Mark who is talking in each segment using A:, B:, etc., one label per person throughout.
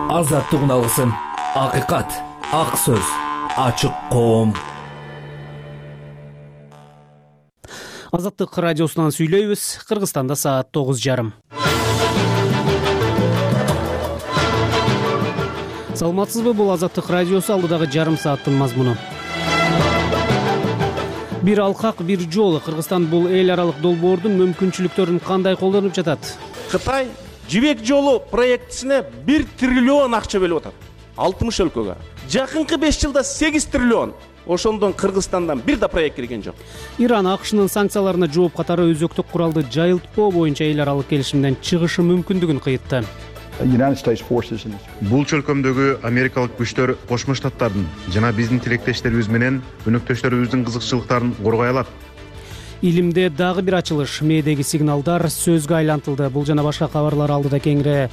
A: Азаттык алгысым, акыйкат, ак сөз, ачык коом.
B: Азаттык радиосунан сүйлөйбүз. Кыргызстанда саат 9:30. Саламатсызбы? Бул Азаттык радиосу, алдыдагы жарым сааттын мазмуну. Бир алкак, бир жол. Кыргызстан бул эл аралык долбоордун мүмкүнчүлүктөрүн кандай колдонуп жатат?
C: Кытай жибек жолу проектисине 1 триллион акча бөлүп атат. 60 өлкөгө. Жакынкы 5 жылда 8 триллион. Ошондон Кыргызстандан бир да проект кирген жок.
B: Иран АКШнын санкцияларына жооп катары өзөктүк куралды жайылтпоо боюнча эл аралык келишимден чыгышы мүмкүндүгүн кыйтты.
D: Бул чөлкөмдөгү америкалык күчтөр Кошмо Штаттардын жана биздин тилектештерибиз менен өнөктөштөрүбүздүн кызыкчылыктарын коргой алат.
B: Илимде дагы бир ачылыш. Мээдеги сигналдар сөзгө айлантылды. Бул жана башка кабарлар алдыда кеңири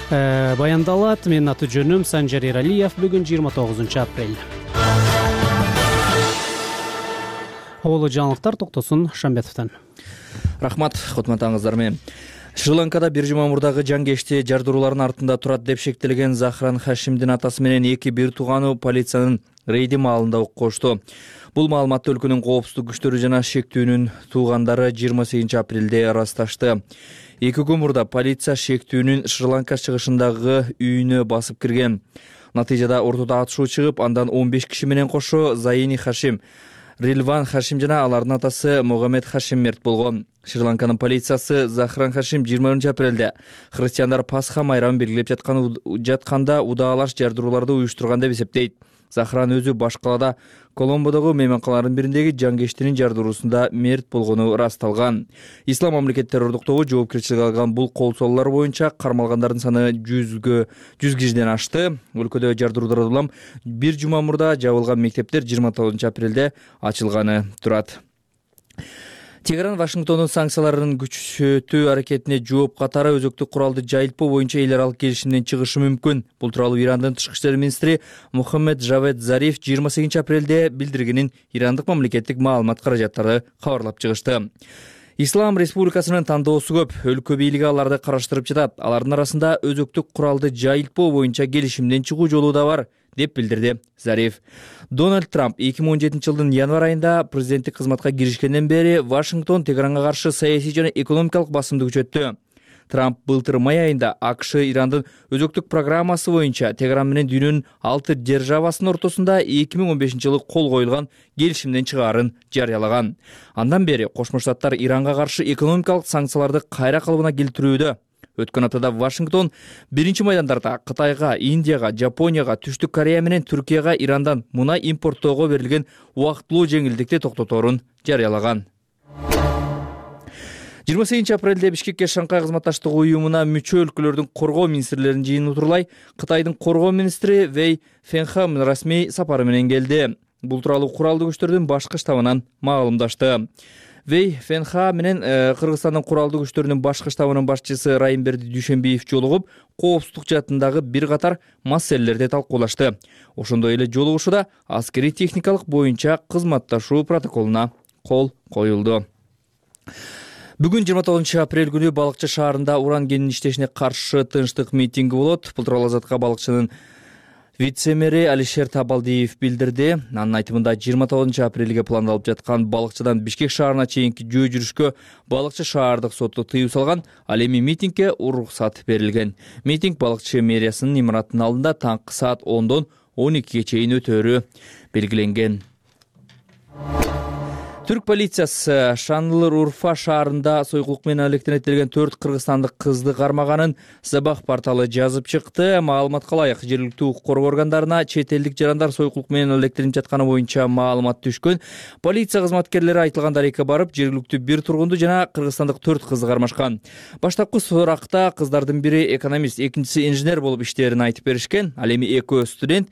B: баяндалат. Менин аты жөнүм Санжар Эралиев. Бүгүн 29 апрель. Абалы жаңылыктар токтосун Шамбетовдон.
E: Рахмат, кутмандаңыздар менен. Шри-Ланкада бир жума мурдагы жангешти жардыруулардын артында турат деп шектелген Захран Хашимдин атасы менен эки бир тууганы полициянын рейди маалында ок кошту. Бул маалыматты өлкөнүн коопсуздук күчтөрү жана шектүүнүн туугандары 28 апрелде ырасташты. Эки күн мурда полиция шектүүнүн Шри-Ланка чыгышындагы үйүнө басып кирген. Натыйжада ортодо атышуу чыгып, андан 15 киши менен кошо Заини Хашим, Рилван Хашим жана алардын атасы Могамед Хашим мерт болгон. Шри-Ланканын полициясы Захран Хашим 20 апрелде христиандар Пасха майрамын белгилеп жатканда удаалаш жардырууларды уюштурган деп эсептейт. Захран өзү баш калаада Коломбодогу мейманканалардын бириндеги жангештинин жардыруусунда мерт болгону ырасталган. Ислам мамлекет террордуктоого жоопкерчилик алган бул кол солуулар боюнча кармалгандардын саны 100 кишиден ашты. Өлкөдө жардыруудан улам бир жума мурда жабылган мектептер 29 апрелде ачылганы турат. Тегеран Вашингтондун санкцияларын күчөтүү аракетине жооп катары өзөктүк куралды жайылтпоо боюнча эл аралык келишимден чыгышы мүмкүн. Бул тууралуу Ирандын тышкы иштер министри Мухаммед Жавед Зариф 28 апрелде билдиргенин ирандык мамлекеттик маалымат каражаттары кабарлап чыгышты. Ислам Республикасынын тандоосу көп. Өлкө бийлиги аларды караштырып жатат. Алардын арасында өзөктүк куралды жайылтпоо боюнча келишимден чыгуу жолу да бар, деп билдирди Зариф. Дональд Трамп 2017 жылдын январь айында президенттик кызматка киришкенден бери Вашингтон Тегеранга каршы саясий жана экономикалык басымды күчөттү. Трамп былтыр май айында АКШ Ирандын өзөктүк программасы боюнча Тегеран менен дүйнөнүн 6 державасынын ортосунда 2015 жылы кол коюлган келишимден чыгаарын жарыялаган. Андан бери Кошмо Штаттар Иранга каршы экономикалык санкцияларды кайра калыбына келтирүүдө. Өткөн аптада Вашингтон биринчи майдандарда Кытайга, Индияга, Жапонияга, Түштүк Корея менен Түркияга Ирандан мунай импорттоого берилген убактылуу жеңилдикти токтоторун жарыялаган. 28 апрелде Бишкекке Шанхай кызматташтык уюмуна мүчө өлкөлөрдүн коргоо министрлеринин жыйыны утурлай Кытайдын коргоо министри Вэй Фенха расмий сапары менен келди. Бул тууралуу куралдуу күчтөрдүн башкы штабынан маалымдашты. Вэй Фенха менен Кыргызстандын куралдуу күчтөрүнүн башкы штабынын башчысы Райымберди Дүйшөнбиев жолугуп, коопсуздук жаатындагы бир катар маселелерди талкуулашты. Ошондой эле жолугушууда аскерий техникалык боюнча кызматташуу протоколуна кол коюлду. Бүгүн 29 апрель күнү Балыкчы шаарында уран кенинин иштешине каршы тынчтык митинги болот. Бул тууралуу Азатка Балыкчынын вице-мэри Алишер Табалдиев билдирди. Анын айтымында 29 апрелге пландалып жаткан Балыкчыдан Бишкек шаарына чейинки жөө жүрүшкө Балыкчы шаардык соту тыюу салган, ал эми митингге уруксат берилген. Митинг Балыкчы мэриясынын имаратынын алдында таңкы саат 10дон 12ге чейин өтөөрү белгиленген. Түрк полициясы Шанлы-Урфа шаарында сойкулук менен алектенеттелген 4 кыргызстандык кызды кармаганын Сабах порталы жазып чыкты. Маалыматка ылайык, жергиликтүү укук коргоо органдарына чет элдик жарандар сойкулук менен алектенип жатканы боюнча маалымат түшкөн. Полиция кызматкерлери айтылган дарекке барып, жергиликтүү бир тургунду жана кыргызстандык 4 кызды кармашкан. Баштапкы суракта кыздардын бири экономист, экинчиси инженер болуп иштээрин айтып беришкен. Ал эми экөө студент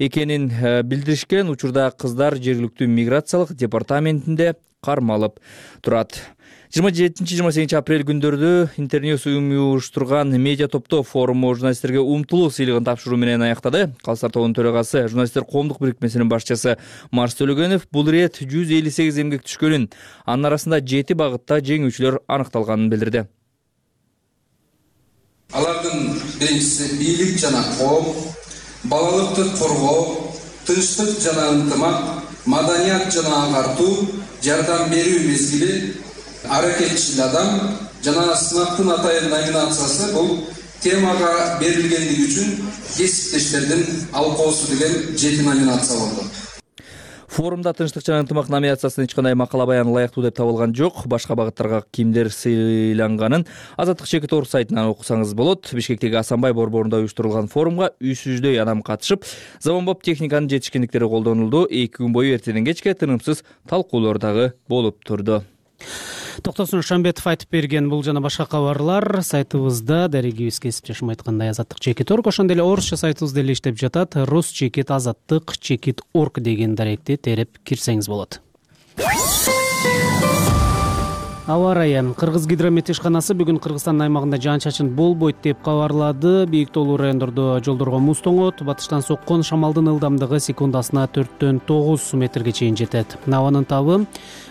E: экенин билдиришкен. Учурда кыздар жергиликтүү миграциялык департаментинде кармалып турат. 27-28 апрель күндөрдө Интерньюз уюштурган медиа топтоо форуму журналисттерге умтулуу сыйлыгын тапшыруу менен аяктады. Калыстар тобунун төрагасы, журналисттер коомдук бирикмесинин башчысы Марс Төлөгөнов бул рет 158 эмгек түшкөнүн, анын арасында 7 багытта жеңүүчүлөр аныкталганын билдирди.
F: Алардын биринчиси бийлик жана коом, балалыкты коргоо, тынчтык жана ынтымак, маданият жана аңгартуу, жардам берүү мезгили, аракетчил адам жана сынактын атайын номинациясы бул темага берилгендиги үчүн кесиптештердин алкоосу деген 7 номинация болду.
E: Форумда тынчтык жана ынтымак номинациясына эч кандай макала баян ылайыктуу деп табылган жок. Башка багыттарга кимдер сыйланганын Азаттык Чекит Орг сайтынан окусаңыз болот. Бишкектеги Асанбай борборунда уюштурулган форумга 300дөй адам катышып, заманбап техниканын жетишкендиктери колдонулду. 2 күн бою эртеден кечке тынымсыз талкуулар дагы болуп турду.
B: Токтосун Шамбетов айтып берген бул жана башка кабарлар сайтыбызда, дарегибиз кесиптешим айткандай Азаттык Чекит Орг, ошондой эле орусча сайтыбызда эле иштеп жатат. Рус-Чекит Азаттык Чекит Орг деген даректи терип кирсеңиз болот. Аба ырайы. Кыргыз гидромет ишканасы бүгүн Кыргызстандын аймагында жаан-чачын болбойт деп кабарлады. Бийик тоолуу райондордо жолдорго муз тоңот, батыштан соккон шамалдын ылдамдыгы секундасына 4-9 метрге чейин жетет. Абанын табы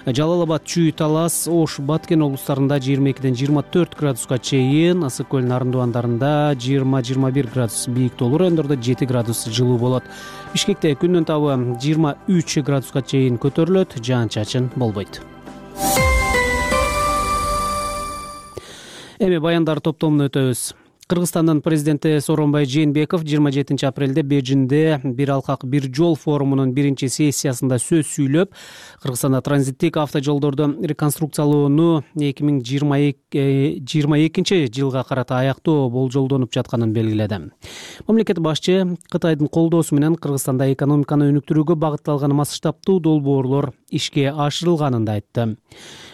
B: Жалал Абад, Чүй, Талас, Ош, Баткен облустарында 22-24 градуска чейин, Ысык көл Нарындубандарында 20-21 градус, бийик тоолуу райондордо 7 градус жылуу болот. Бишкекте күндүн табы 23 градуска чейин көтөрүлөт, жаан-чачын болбойт. Эми баяндар топтомуна өтөбүз. Кыргызстандын президенти Сооронбай Жээнбеков 27 апрелде Бейжиңде бир алкак бир жол форумунун биринчи сессиясында сөз сүйлөп, Кыргызстанда транзиттик автожолдорду реконструкциялоону 2022 жылга карата аяктоо болжолдонуп жатканын белгиледи. Мамлекет башчы Кытайдын колдоосу менен Кыргызстанда экономиканы өнүктүрүүгө багытталган масштабтуу долбоорлор ишке ашырылганын да айтты.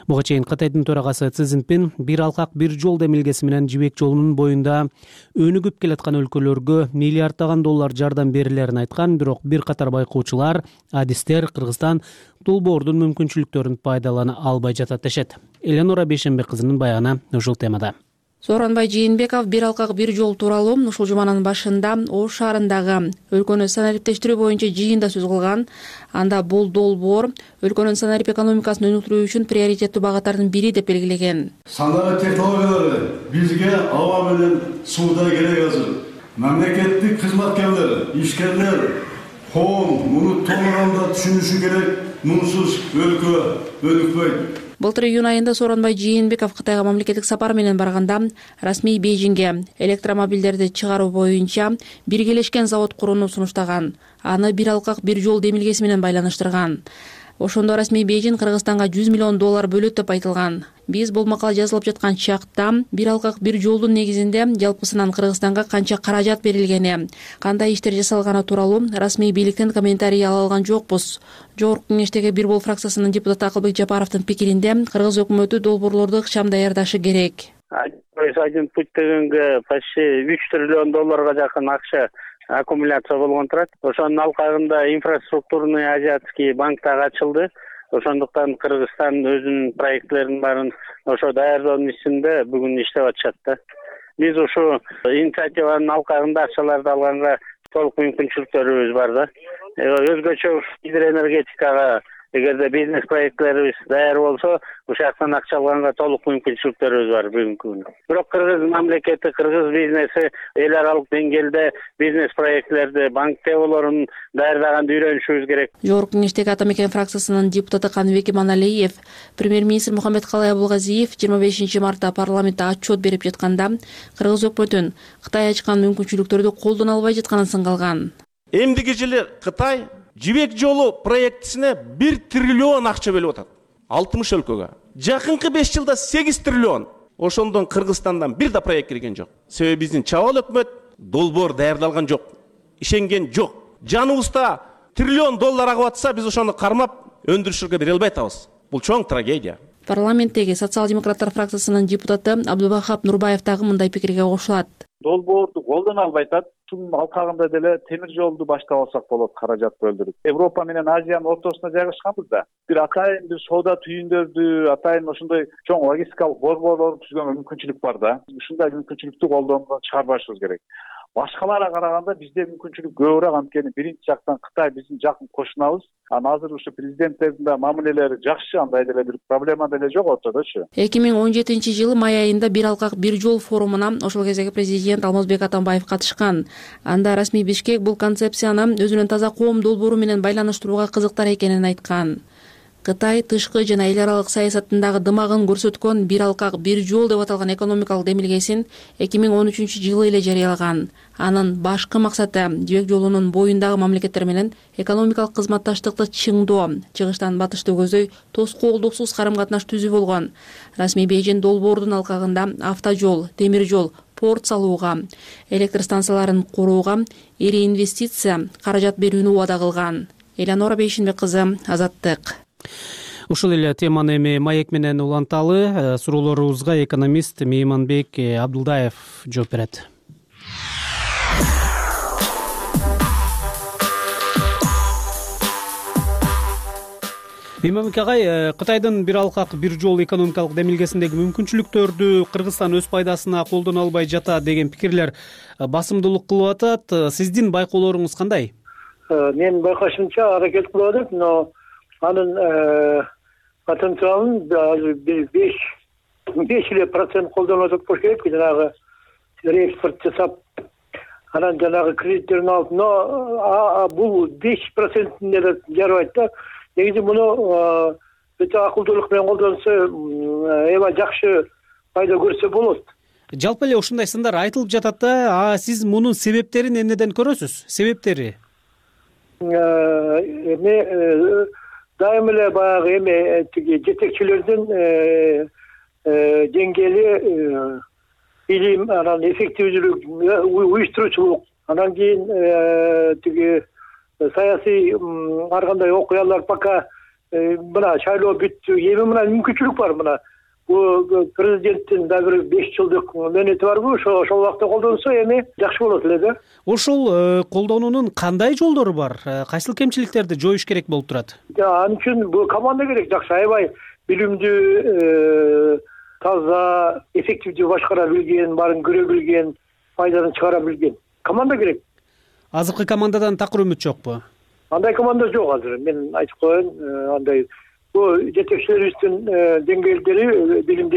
B: Буга чейин Кытайдын төрагасы Си Цзиньпин бир алкак бир жол демилгеси менен Жибек жолунун боюнда өнүгүп келаткан өлкөлөргө миллиарддаган доллар жардам берилерин айткан, бирок бир катар байкоочулар, адистер Кыргызстан долбоордун мүмкүнчүлүктөрүн пайдалана албай жатат дешет. Эленора Бейшембек кызынын баягы ушул темада.
G: Сооронбай Жээнбеков бир алкак бир жол тууралуу ушул жуманын башында Ош шаарындагы өлкөнү санариптештирүү боюнча жыйында сөз кылган. Анда бул долбоор өлкөнүн санарип экономикасын өнүктүрүү үчүн приоритеттүү багыттардын бири деп белгилеген.
H: Санарип технологиялары бизге аба менен сууда керек азыр. Мамлекеттик кызматкерлер, ишкерлер, коом муну толугунда түшүнүшү керек. Мунсуз өлкө өнүкпөйт.
G: Былтыр июнь айында Сооронбай Жээнбеков Кытайга мамлекеттик сапар менен барганда расмий Бейжиңге электромобилдерди чыгаруу боюнча биргелешкен завод курууну сунуштаган. Аны бир алкак бир жол демилгеси менен байланыштырган. Ошондо расмий Бейжиң Кыргызстанга $100 миллион бөлөт деп айтылган. Биз бул макала жазылып жаткан чакта бир алкак бир жолдун негизинде жалпысынан Кыргызстанга канча каражат берилгени, кандай иштер жасалганы тууралуу расмий бийликтен комментарий ала алган жокпуз. Жогорку кеңештеги Бир Бол фракциясынын депутаты Акылбек Жапаровдун пикиринде Кыргыз өкмөтү долбоорлорду ыкчам даярдашы керек.
I: Один путь дегенге почти $3 триллион жакын акча аккумуляция болгон турат. Ошонун алкагында инфраструктурный азиатский банк дагы ачылды. Ошондуктан Кыргызстан өзүнүн проекттеринин баарын ошо даярдоонун ичинде бүгүн иштеп атышат да. Биз ушу инициативанын алкагында акчаларды алганга толук мүмкүнчүлүктөрүбүз бар да. Өзгөчө гидроэнергетикага эгерде бизнес проекттерибиз даяр болсо, ушул жактан акча алганга толук мүмкүнчүлүктөрүбүз бар бүгүнкү күнү. Бирок Кыргыз мамлекети, Кыргыз бизнеси эл аралык деңгээлде бизнес проектлерди, банк теолорун даярдаганды үйрөнүшүбүз керек.
G: Жогорку кеңештеги Ата Мекен фракциясынын депутаты Каныбек Иманалиев, премьер-министр Мухаммедкалый Абулгазиев 25 мартта парламентте отчет берип жатканда Кыргыз өкмөтүн Кытай ачкан мүмкүнчүлүктөрдү колдоно албай жатканын сыңгалган.
C: Эмдиги жылы Кытай Жибек жолу проектисине 1 триллион акча бөлүп атат. 60 өлкөгө. Жакынкы 5 жылда 8 триллион. Ошондон Кыргызстандан бир да проект кирген жок. Себеби биздин чабал өкмөт долбоор даярдалган жок. Ишенген жок. Жаныбызда триллион доллар агып атса, биз ошону кармап өндүрүшкө бере албай атабыз. Бул чоң трагедия.
G: Парламенттеги социал-демократтар фракциясынын депутаты Абдубахап Нурбаев дагы мындай пикирге кошулат.
J: Долбоорду колдоно албай атат. Шунун алкагында деле темир жолду баштап алсак болот, каражат бөлдүрүп. Европа менен Азиянын ортосуна жайгашканбыз да. Бир атайын бир соода түйүндөрдү, атайын ошондой чоң логистикалык борборлорду түзгөнгө мүмкүнчүлүк бар да. Ушундай мүмкүнчүлүктү колдоодон чыгарбашыбыз керек. башкаларга караганда бизде мүмкүнчүлүк көбүрөөк, анткени биринчи жактан Кытай биздин жакын кошунабыз. Анан азыр ушу президенттердин да мамилелери жакшы, андай деле бир проблема деле жок ортодочу.
G: 2017-жылы май айында бир алкак бир жол форумуна ошол кездеги президент Алмазбек Атамбаев катышкан. Анда расмий Бишкек бул концепцияны өзүнүн таза коом долбоору менен байланыштырууга кызыктар экенин айткан. Кытай тышкы жана эл аралык саясатындагы дымагын көрсөткөн бир алкак бир жол деп аталган экономикалык демилгесин 2013-жылы эле жарыялаган. Анын башкы максаты Жибек жолунун боюндагы мамлекеттер менен экономикалык кызматташтыкты чыңдоо, чыгыштан батышты көздөй тоскоолдуксуз карым-катнаш түзүү болгон. Расмий Бейжин долбоордун алкагында автожол, темир жол, порт салууга, электр станцияларын курууга ири инвестиция каражат берүүнү убада кылган. Элеонора Бейшинбек кызы, Азаттык.
B: Ушул эле теманы эми маек менен уланталы. Суроолорубузга экономист Мейманбек Абдулдаев жооп берет. Мейманбек агай, Кытайдын бир алкак бир жол экономикалык демилгесиндеги мүмкүнчүлүктөрдү Кыргызстан өз пайдасына колдоно албай жатат деген пикирлер басымдуулук кылып атат. Сиздин байкоолоруңуз кандай?
K: Менин байкашымча аракет кылып атат, но анын потенциалын азыр 5% колдонуп атат болуш керек. Жанагы реэкспорт жасап, анан жанагы кредиттерин алып, но бул 5%-ин эле жарабайт да. Негизи муну өтө акылдуулук менен колдонсо, эба жакшы пайда көрсө болот.
B: Жалпы эле ушундай сындар айтылып жатат да, сиз мунун себептерин эмнеден көрөсүз? Себептери?
K: Дайым эле баягы тиги жетекчилердин деңгээли, билим, анан эффективдүүлүк, уюштуруучулук, анан кийин тиги саясий ар кандай окуялар пока мына шайлоо бүттү. Эми мына мүмкүнчүлүк бар, мына бул президенттин да бир 5 жылдык мөөнөтү барбы, ошол убакта колдонсо эми жакшы болот эле да.
B: Ошол колдонуунун кандай жолдору бар? Кайсыл кемчиликтерди жоюш керек болуп турат?
K: Ал үчүн бул команда керек, жакшы, аябай билимдүү, таза, эффективдүү башкара билген, баарын көрө билген, пайданы чыгара билген команда керек.
B: Азыркы командадан такыр үмүт жокпу?
K: Андай команда жок азыр. Мен айтып коеюн, андай бул жетекчилерибиздин деңгээлдери, билим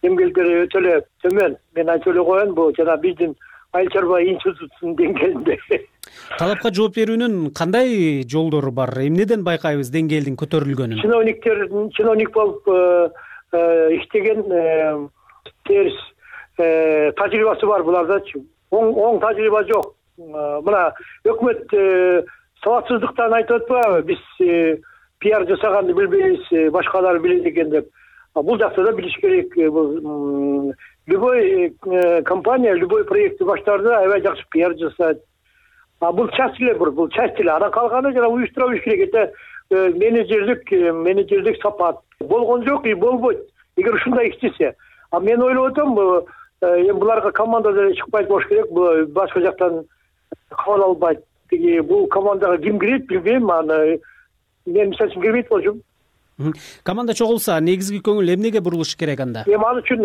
K: деңгээлдери өтө эле төмөн. Мен айтып эле коеюн, бул жана биздин айыл чарба институтунун деңгээлинде.
B: Талапка жооп берүүнүн кандай жолдору бар? Эмнеден байкайбыз деңгээлдин көтөрүлгөнүн?
K: Чиновник болуп иштеген терс тажрыйбасы бар булардачы. Оң тажрыйба жок. Мына өкмөт сабатсыздыктан айтып атпайбы, биз пиар жасаганды билбейбиз, башкалар билет экен деп. Бул жакта да билиш керек. Любой компания, любой проектти баштаарда аябай жакшы пиар жасайт. Бул часть эле, бул часть эле. Анан калганы жана уюштура билиш керек. Это менеджерлик сапат. Болгон жок и болбойт. Эгер ушундай иштесе. Мен ойлоп атам, эми буларга команда деле чыкпайт болуш керек. Бул башка жактан кабыл албайт. Тиги бул командага ким кирет билбейм. Аны мен мисалы үчүн кирбейт болчумун.
B: Команда чогулса, негизги көңүл эмнеге бурулуш керек анда?
K: Ал үчүн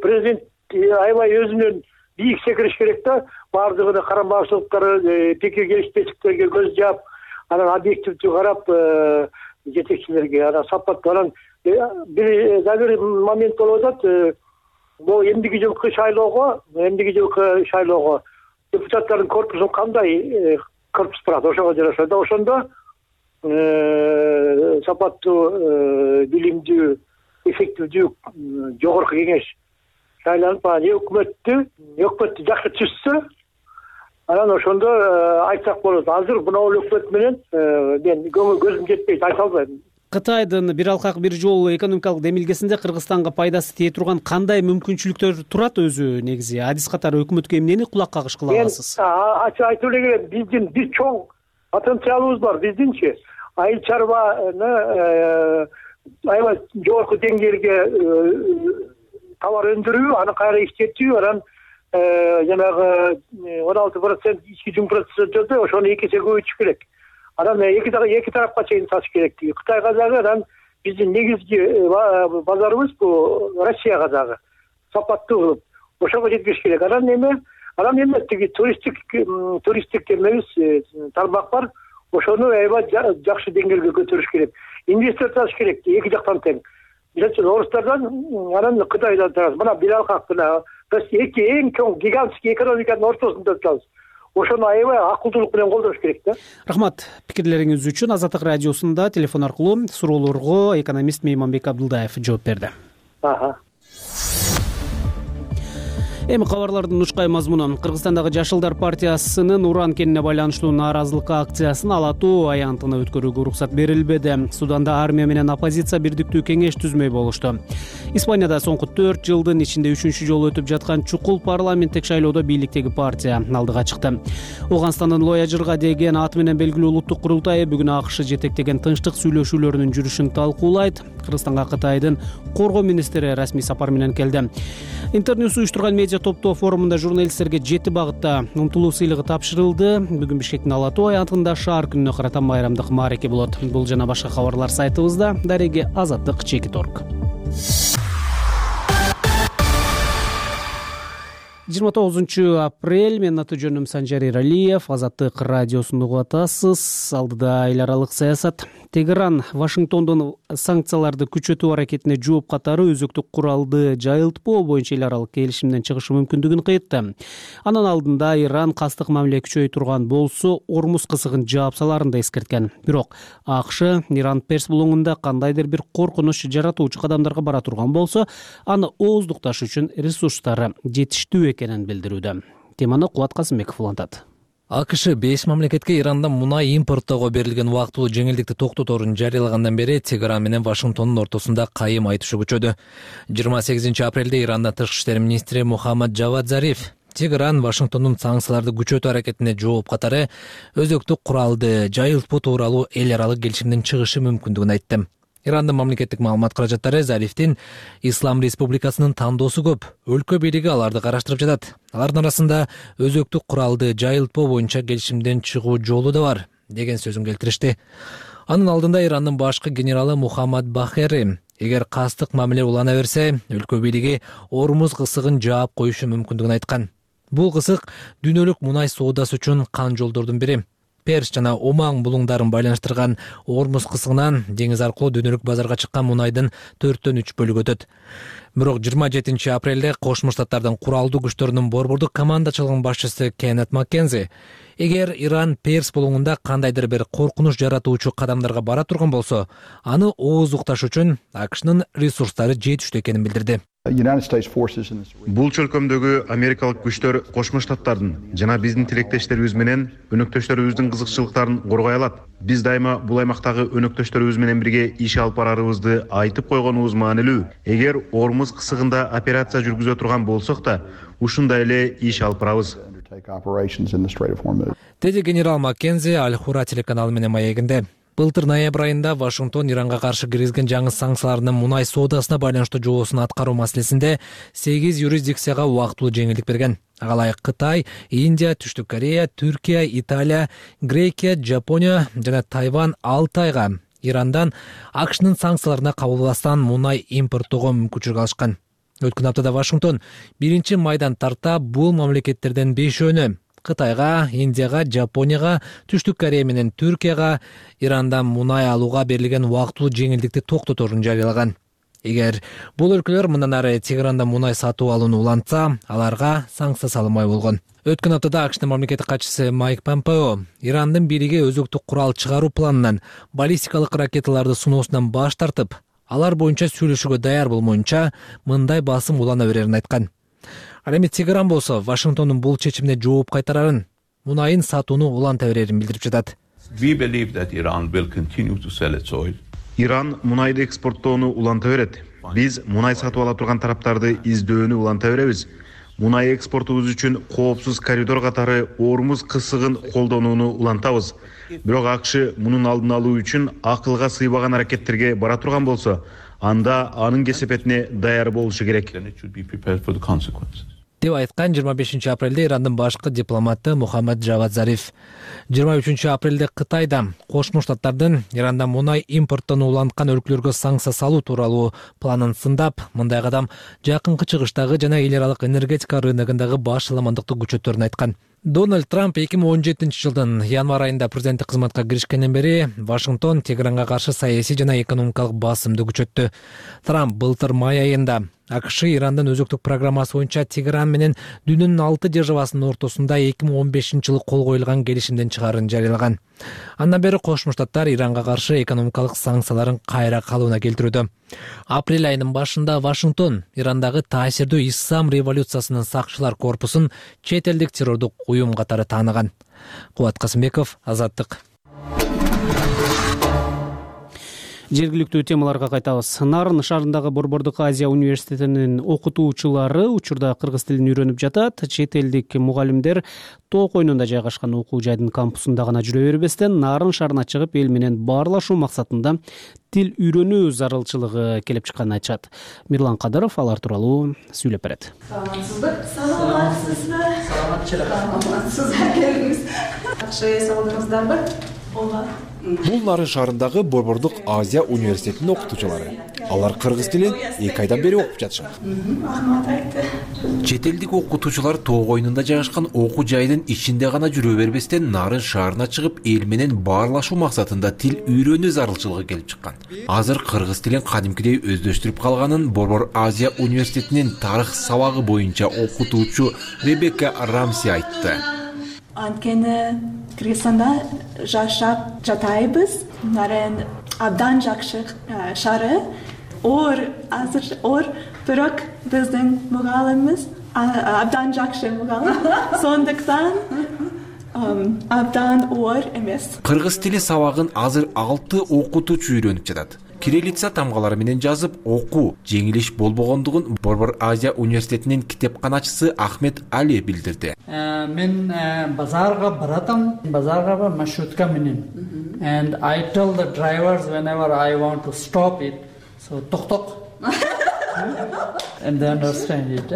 K: президент аябай өзүнүн бийик секириш керек да. Бардыгына карама-каршылыктары, пикир келишпестиктерге көз жаап, анан объективдүү карап жетекчилерге, анан сапаттуу. Анан бир момент болуп атат. Бул эмдиги жылкы шайлоого депутаттардын корпусун кандай корпус турат, ошого жараша да. Ошондо сапаттуу, билимдүү, эффективдүү жогорку кеңеш шайланып, өкмөттү жакшы түзсө, анан ошондо айтсак болот. Азыр мына өкмөт менен мен көзүм жетпейт, айта албайм.
B: Кытайдын бир алкак бир жол экономикалык демилгесинде Кыргызстанга пайдасы тие турган кандай мүмкүнчүлүктөр турат өзү негизи? Адис катары өкмөткө эмнени кулак кагыш кыла аласыз?
K: Айтып эле келем, биздин бир чоң потенциалыбыз бар, биздинчи. Айыл чарбаны аябай жогорку деңгээлге товар өндүрүү, аны кайра иштетүү, анан жанагы 16% ички жум процессордо ошону 2 эсе көбөйтүш керек. Анан эки тарапка чейин сатыш керек. Кытайга дагы, анан биздин негизги базарыбыз бул Россияга дагы сапаттуу кылып ошого жеткириш керек. Анан Анан эми тиги туристтик эмебиз тармак бар. Ошону аябай жакшы деңгээлге көтөрүш керек. Инвестор табыш керек эки жактан тең. Мисалы үчүн орустардан, анан Кытайдан тарабы. Мына Билалкак мына біз эки эң чоң гигантский экономиканын ортосунда турабыз. Ошону аябай акылдуулук менен колдош керек да.
B: Рахмат пикирлериңиз үчүн. Азаттык радиосунда телефон аркылуу суроолорго экономист Мейманбек Абдылдаев жооп берди. Эми кабарлардын учкай мазмуну. Кыргызстандагы Жашылдар партиясынын уран кенине байланыштуу нааразылык акциясын ала тоо аянтына өткөрүүгө уруксат берилбеди. Суданда армия менен оппозиция бирдиктүү кеңеш түзмөй болушту. Испанияда соңку 4 жылдын ичинде 3-чү жолу өтүп жаткан чукул парламенттик шайлоодо бийликтеги партия алдыга чыкты. Ооганстандын Лояжырга деген аты менен белгилүү улуттук курултайы бүгүн АКШ жетектеген тынчтык сүйлөшүүлөрүнүн жүрүшүн талкуулайт. Кыргызстанга Кытайдын коргоо министри расмий сапар менен келди. Интерньюс уюштурган медиа топтоо форумунда журналисттерге 7 багытта умтулуу сыйлыгы тапшырылды. Бүгүн Бишкектин Ала тоо аянтында шаар күнүнө карата майрамдык маареке болот. Бул жана башка кабарлар сайтыбызда. Дареги Азаттык /Org. 29 апрель. Мен аты жөнүм Санжар Эралиев. Азаттык радиосун угуп атасыз. Алдыда эл аралык саясат. Тегеран Вашингтондун санкцияларды күчөтүү аракетине жооп катары өзөктүк куралды жайылтпоо боюнча эл аралык келишимден чыгышы мүмкүндүгүн кыйтты. Анын алдында Иран кастык мамиле күчөй турган болсо, Ормуз кысыгын жаап саларын да эскерткен. Бирок АКШ Иран Перс булуңунда кандайдыр бир коркунуч жаратуучу кадамдарга бара турган болсо, аны ооздукташ үчүн ресурстары жетиштүү экенин билдирүүдө. Теманы Кубат Касымбеков улантат.
L: АКШ 5 мамлекетке Ирандан мунай импорттоого берилген убактылуу жеңилдикти токтоторун жарыялагандан бери Тегеран менен Вашингтондун ортосунда кайым айтышуу күчөдү. 28 апрелде Ирандан тышкы иштер министри Мухаммад Джавад Зариф Тегеран Вашингтондун санкцияларды күчөтүү аракетине жооп катары өзөктүк куралды жайылтпоо тууралуу эл аралык келишимден чыгышы мүмкүндүгүн айтты. Ирандын мамлекеттик маалымат каражаттары Зарифтин Ислам Республикасынын тандоосу көп. Өлкө бийлиги аларды караштырып жатат. Алардын арасында өзөктүк куралды жайылтпоо боюнча келишимден чыгуу жолу да бар деген сөзүн келтиришти. Анын алдында Ирандын башкы генералы Мухаммад Бахери эгер кастык мамиле улана берсе, өлкө бийлиги Ормуз кысыгын жаап коюшу мүмкүндүгүн айткан. Бул кысык дүйнөлүк мунай соодасы үчүн кан жолдордун бири. Перс жана Оман булуңдарын байланыштырган Ормуз кысыгынан деңиз аркылуу дүйнөлүк базарга чыккан мунайдын 4/3 бөлүгү өтөт. Бирок 27 апрелде Кошмо Штаттардын куралдуу күчтөрүнүн борбордук командачылыгынын башчысы Кеннет Маккензи эгер Иран Перс булуңунда кандайдыр бир коркунуч жаратуучу кадамдарга бара турган болсо, аны ооздукташ үчүн АКШнын ресурстары жетиштүү экенин билдирди.
D: Бул чөлкөмдөгү америкалык күчтөр Кошмо Штаттардын жана биздин тилектештерибиз менен өнөктөштөрүбүздүн кызыкчылыктарын коргой алат. Биз дайыма бул аймактагы өнөктөштөрүбүз менен бирге иш алып барарыбызды айтып койгонубуз маанилүү. Эгер Ормуз кысыгында операция жүргүзө турган болсок да, ушундай эле иш алып барабыз.
L: Деди генерал Маккензи Аль-Хура телеканалы менен маегинде. Былтыр ноябрь айында Вашингтон Иранга каршы киргизген жаңы санкциялардын мунай соодасына байланыштуу жоосун аткаруу маселесинде 8 юрисдикцияга убактылуу жеңилдик берген. Ага ылайык Кытай, Индия, Түштүк Корея, Түркия, Италия, Грекия, Жапония жана Тайвань 6 айга Ирандан АКШнын санкцияларына кабылбастан мунай импорттоого мүмкүнчүлүк алышкан. Өткөн аптада Вашингтон 1-майдан тарта бул мамлекеттерден 5-өөнө Кытайга, Индияга, Жапонияга, Түштүк Корея менен Түркияга Ирандан мунай алууга берилген убактылуу жеңилдикти токтоторун жарыялаган. Эгер бул өлкөлөр мындан ары Тегерандан мунай сатып алууну улантса, аларга санкция салынбай болгон. Өткөн аптада АКШнын мамлекеттик катчысы Майк Помпео Ирандын бийлиги өзөктүк курал чыгаруу планынан баллистикалык ракеталарды сыноосунан баш тартып, алар боюнча сүйлөшүүгө даяр болмоюнча мындай басым улана берерин айткан. Ал эми Тегеран болсо Вашингтондун бул чечимине жооп кайтарарын, мунайын сатууну уланта берерин билдирип жатат.
D: Иран мунайды экспорттоону уланта берет. Биз мунай сатып ала турган тараптарды издөөнү уланта беребиз. Мунай экспортубуз үчүн коопсуз коридор катары Ормуз кысыгын колдонууну улантабыз. Бирок АКШ мунун алдын алуу үчүн акылга сыйбаган аракеттерге бара турган болсо, анда анын кесепетине даяр болушу керек.
L: деп айткан 25 апрелде Ирандын башкы дипломаты Мухаммад Джавад Зариф. 23 апрелде Кытайда Кошмо Штаттардын Ирандан мунай импорттон уланткан өлкөлөргө санкция салуу тууралуу планын сындап, мындай кадам жакынкы чыгыштагы жана эл аралык энергетика рыногундагы баш ылымандыкты күчөтөрүн айткан. Дональд Трамп 2017 жылдын январь айында президенттик кызматка киришкенден бери Вашингтон Тегеранга каршы саясий жана экономикалык басымды күчөттү. Трамп былтыр май айында АКШ Ирандын өзөктүк программасы боюнча Тегеран менен дүйнөнүн 6 державасынын ортосунда 2015 жылы кол коюлган келишимден чыгаарын жарыялаган. Андан бери Кошмо Штаттар Иранга каршы экономикалык санкцияларын кайра калыбына келтирүүдө. Апрель айынын башында Вашингтон Ирандагы таасирдүү Ислам революциясынын сакчылар корпусун чет элдик террордук уюм катары тааныган. Кубат Касымбеков, Азаттык.
B: Жергиликтүү темаларга кайтабыз. Нарын шаарындагы Борбордук Азия университетинин окутуучулары учурда кыргыз тилин үйрөнүп жатат. Чет элдик мугалимдер Тоо койнунда жайгашкан окуу жайдын кампусунда гана жүрө бербестен, Нарын шаарына чыгып эл менен баарлашуу максатында тил үйрөнүү зарылчылыгы келип чыкканын айтышат. Мирлан Кадыров алар тууралуу сүйлөп берет.
M: Саламатсызбы? Саламатсызбы? Келиңиз. Жакшы саламатсыздарбы?
N: Бул Нарын шаарындагы Борбордук Азия университетинин окутуучулары. Алар кыргыз тилин 2 айдан бери окуп жатышат. Чет элдик окутуучулар Тоо койнунда жайгашкан окуу жайдын ичинде гана жүрө бербестен, Нарын шаарына чыгып эл менен баарлашуу максатында тил үйрөнүү зарылчылыгы келип чыккан. Азыр кыргыз тилин кадимкидей өздөштүрүп калганын Борбор Азия университетинин тарых сабагы боюнча окутуучу Ребекка Рамси айтты.
M: Анткени Кыргызстанда жашап жатайбыз. Нарын абдан жакшы шаары. Азыр бирок биздин мугалимибиз абдан жакшы мугалим. Сондуктан абдан оор эмес.
N: Кыргыз тили сабагын азыр 6 окутуучу үйрөнүп жатат. Кириллица тамгалары менен жазып окуу жеңилиш болбогондугун Борбор Азия университетинин китепканачысы Ахмед Али билдирди.
O: Мен базарга баратам, базарга маршрутка менен. And I tell the drivers whenever I want to stop it, so ток. And they understand it.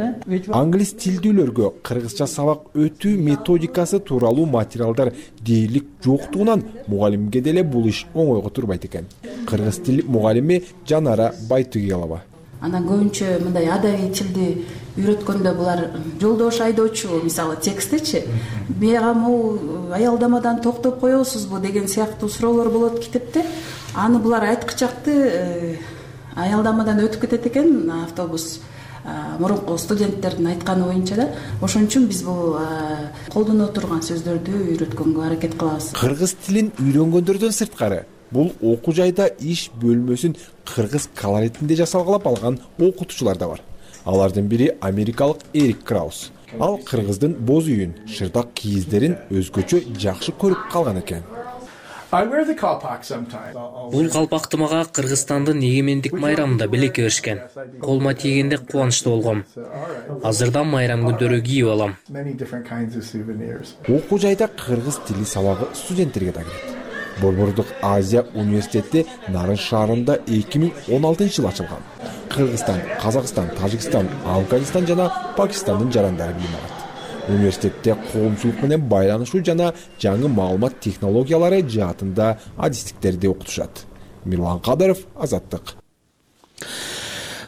N: Англис тилдүүлөргө кыргызча сабак өтүү методикасы тууралуу материалдар дээрлик жоктугунан мугалимге деле бул иш оңойго турбайт экен. Кыргыз тил мугалими Жанара Байтугелова.
P: Анан көбүнчө мындай адабий тилди үйрөткөндө булар жолдош айдоочу, мисалы текстичи, бул аялдамадан токтоп коесузбу деген сыяктуу суроолор болот китепте. Аны булар айткычакты аялдамадан өтүп кетет экен автобус. Мурунку студенттердин айтканы боюнча да, ошон үчүн биз бул колдоно турган сөздөрдү үйрөткөнгө аракет кылабыз.
N: Кыргыз тилин үйрөнгөндөрдөн сырткары бул окуу жайда иш бөлмөсүн кыргыз колоритинде жасалгалап алган окутуучулар да бар. Алардын бири америкалык Эрик Краус. Ал кыргыздын боз үйүн, шырдак кийиздерин өзгөчө жакшы көрүп калган экен.
Q: Бул калпакты мага Кыргызстандын эгемендик майрамында белекке беришкен. Колума тийгенде кубанычтуу болгом. Азырдан майрам күндөрү кийип алам.
N: Окуу жайда кыргыз тили сабагы студенттерге да кирет. Борбордук Азия университети Нарын шаарында 2016 жылы ачылган. Кыргызстан, Казакстан, Тажикстан, Афганистан жана Пакистандын жарандары билим алат. Университетте коомчулук менен байланышуу жана жаңы маалымат технологиялары жаатында адистиктерди окутушат. Мирлан Кадыров, Азаттык.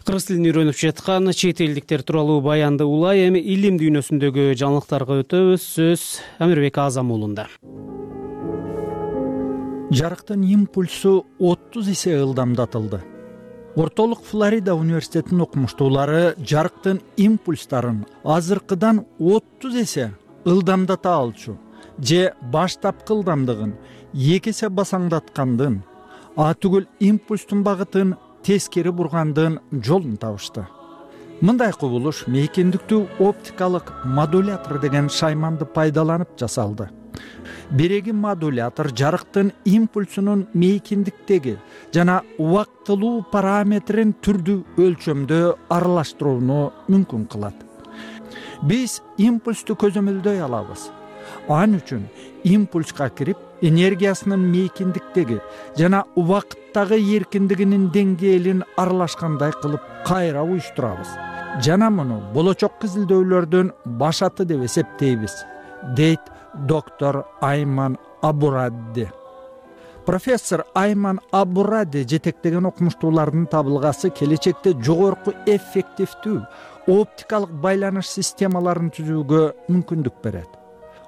B: Кыргыз тилин үйрөнүп жаткан чет элдиктер тууралуу баянды улай, эми илим дүйнөсүндөгү жаңылыктарга өтөбүз. Сөз Амирбек Азам уулунда.
R: Жарыктын импульсу 30 эсе ылдамдатылды. Ортолук Флорида университетинин окумуштуулары жарыктын импульстарын азыркыдан 30 эсе ылдамдата алчу же баштапкы ылдамдыгын 2 эсе басаңдаткандын, түгүл импульстун багытын тескери бургандын жолун табышты. Мындай кубулуш мейкиндиктүү оптикалык модулятор деген шайманды пайдаланып жасалды. Биреги модулятор жарыктын импульсунун мейкиндиктеги жана убактылуу параметрин түрдүү өлчөмдө аралаштырууну мүмкүн кылат. Биз импульсту көзөмөлдөй алабыз. Ан үчүн импульска кирип, энергиясынын мейкиндиктеги жана убакыттагы эркиндигинин деңгээлин аралашкандай кылып кайра уюштурабыз. жана муну болочокко изилдөөлөрдүн башаты деп эсептейбиз, дейт доктор Айман Абурадди. Профессор Айман Абурадди жетектеген окумуштуулардын табылгасы келечекте жогорку эффективдүү оптикалык байланыш системаларын түзүүгө мүмкүндүк берет.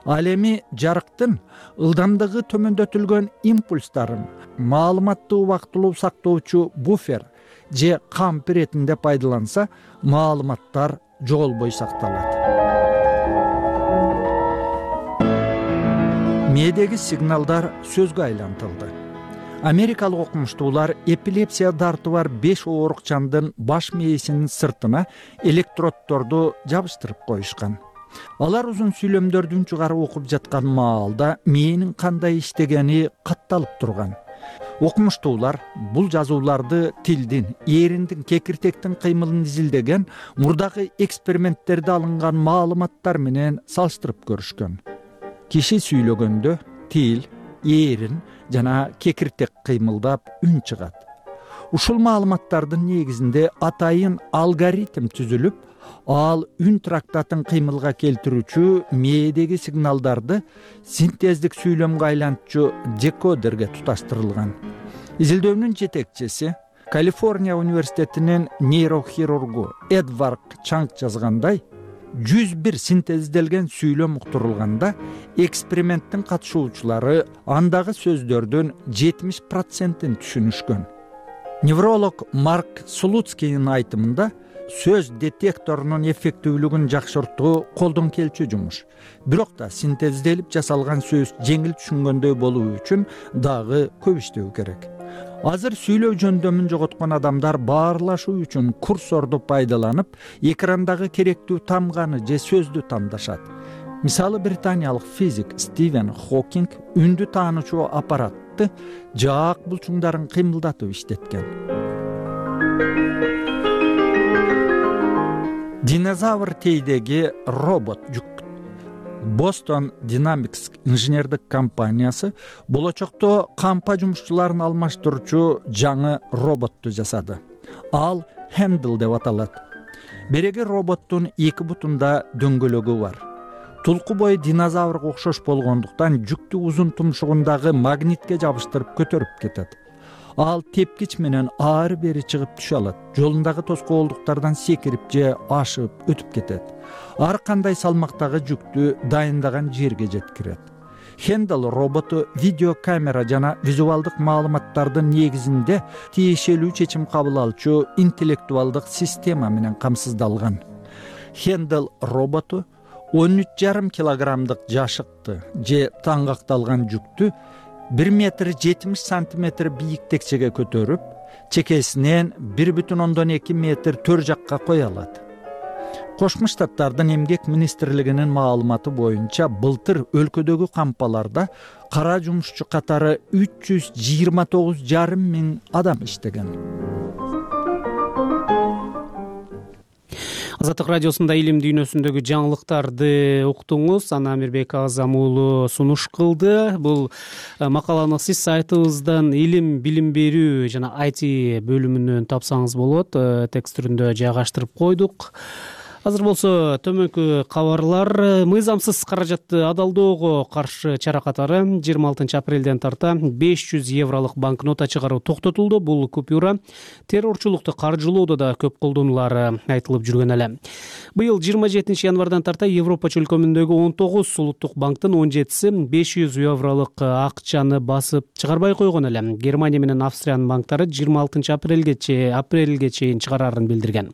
R: Ал эми жарыктын ылдамдыгы төмөндөтүлгөн импульстарын маалыматты убактылуу сактоочу буфер же камп иретинде пайдаланса, маалыматтар жоголбой сакталат. Мээдеги сигналдар сөзгө айлантылды. Америкалык окумуштуулар эпилепсия дарты бар 5 оорукчандын баш мээсинин сыртына электроддорду жабыштырып коюшкан. Алар узун сүйлөмдөрдүн чыгарып окуп жаткан маалда мээнин кандай иштегени катталып турган. Окумуштуулар бул жазууларды тилдин, эриндин, кекиртектин кыймылын изилдеген мурдагы эксперименттерде алынган маалыматтар менен салыштырып көрүшкөн. Киши сүйлөгөндө тил, эрин жана кекиртек кыймылдап үн чыгат. Ушул маалыматтардын негизинде атайын алгоритм түзүлүп, ал үн трактатын кыймылга келтирүүчү мээдеги сигналдарды синтездик сүйлөмгө айлантчу декодерге туташтырылган. Изилдөөнүн жетекчиси, Калифорния университетинин нейрохирургу Эдвард Чанг жазгандай, 101 синтезделген сүйлөм уктурулганда, эксперименттин катышуучулары андагы сөздөрдүн 70%-ин түшүнүшкөн. Невролог Марк Слуцкийдин айтымында, сөз детекторунун эффективдүүлүгүн жакшыртуу колдон келчү жумуш. Бирок да синтезделип жасалган сөз жеңил түшүнгөндөй болуу үчүн дагы көп иштөө керек. Азыр сүйлөө жөндөмүн жоготкон адамдар баарлашуу үчүн курсорду пайдаланып, экрандагы керектүү тамганы же сөздү тамдашат. Мисалы, британиялык физик Стивен Хокинг үндү таанычу аппаратты жаак булчуңдарын кыймылдатып иштеткен. Динозавр тейдеги робот жүк. Boston Dynamics инженердик компаниясы болочокто кампа жумушчуларын алмаштыруучу жаңы роботту жасады. Ал Handle деп аталат. Береги роботтун 2 бутунда дөңгөлөгү бар. Тулку бою динозаврга окшош болгондуктан жүктү узун тумшугундагы магнитке жабыштырып көтөрүп кетет. Ал тепкич менен ары бери чыгып түшө алат. Жолундагы тоскоолдуктардан секирип же ашып өтүп кетет. Ар кандай салмактагы жүктү дайындаган жерге жеткирет. Handle роботу видеокамера жана визуалдык маалыматтардын негизинде тиешелүү чечим кабыл алчу интеллектуалдык система менен камсыздалган. Handle роботу 13,5 килограммдык жашыкты же таңгакталган жүктү 1 метр 70 сантиметр бийиктикчеге көтөрүп, чекесинен 1,2 метр төр жакка кое алат. Кошмо Штаттардын эмгек министрлигинин маалыматы боюнча былтыр өлкөдөгү кампаларда кара жумушчу катары 329,5 миң адам иштеген.
B: Азаттык радиосунда илим дүйнөсүндөгү жаңылыктарды уктуңуз. Ана Амирбек Азам уулу сунуш кылды. Бул макаланы сиз сайтыбыздан илим билим берүү жана IT бөлүмүнөн тапсаңыз болот. Текст түрүндө жайгаштырып койдук. Азыр болсо төмөнкү кабарлар. Мыйзамсыз каражатты адалдоого каршы чара катары 26 апрелден тарта 500 евролук банкнота чыгаруу токтотулду. Бул купюра террорчулукту каржылоодо да көп колдонулары айтылып жүргөн эле. Быйыл 27 январдан тарта Европа чөлкөмүндөгү 19 улуттук банктын 17си 500 евролук акчаны басып чыгарбай койгон эле. Германия менен Австриянын банктары 26 апрелге чейин чыгарарын билдирген.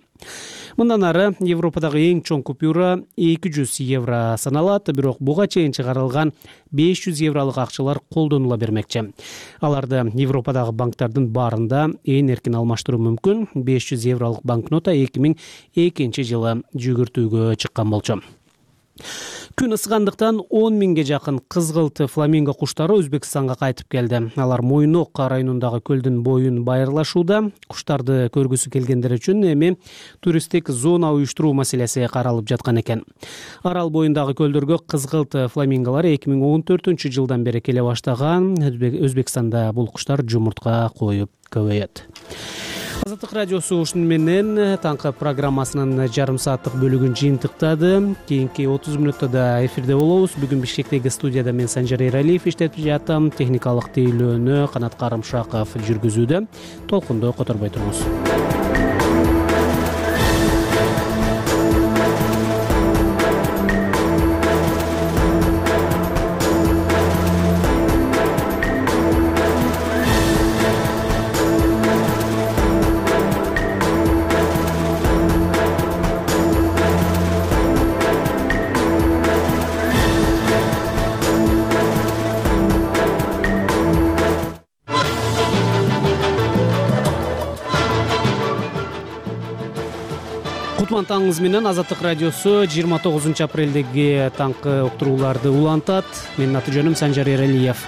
B: Мындан ары Европадагы эң чоң купюра 200 евро саналат, бирок буга чейин чыгарылган 500 евролук акчалар колдонула бермекчи. Аларды Европадагы банктардын баарында ээн эркин алмаштыруу мүмкүн. 500 евролук банкнота 2002 жылы жүгүртүүгө чыккан болчу. Күн ысыгандыктан 10 миңге жакын кызгылт фламинго куштары Өзбекстанга кайтып келди. Алар Мойнок районундагы көлдүн боюн байырлашууда. Куштарды көргүсү келгендер үчүн эми туристтик зона уюштуруу маселеси каралып жаткан экен. Арал боюндагы көлдөргө кызгылт фламинголор 2014 жылдан бери келе баштаган. Өзбекстанда бул куштар жумуртка коюп көбөйөт. Азаттык радиосу ушуну менен таңкы программасынын жарым сааттык бөлүгүн жыйынтыктады. Кийинки 30 мүнөттө да эфирде болобуз. Бүгүн Бишкектеги студияда мен Санжар Эралиев иштетип жатам. Техникалык тейлөөнү Канат Карымшаков жүргүзүүдө. Толкундо которбой туруңуз. Таңыңыз менен Азаттык радиосу 29 апрелдеги таңкы уктурууларды улантат. Менин аты жөнүм Санжар Эралиев.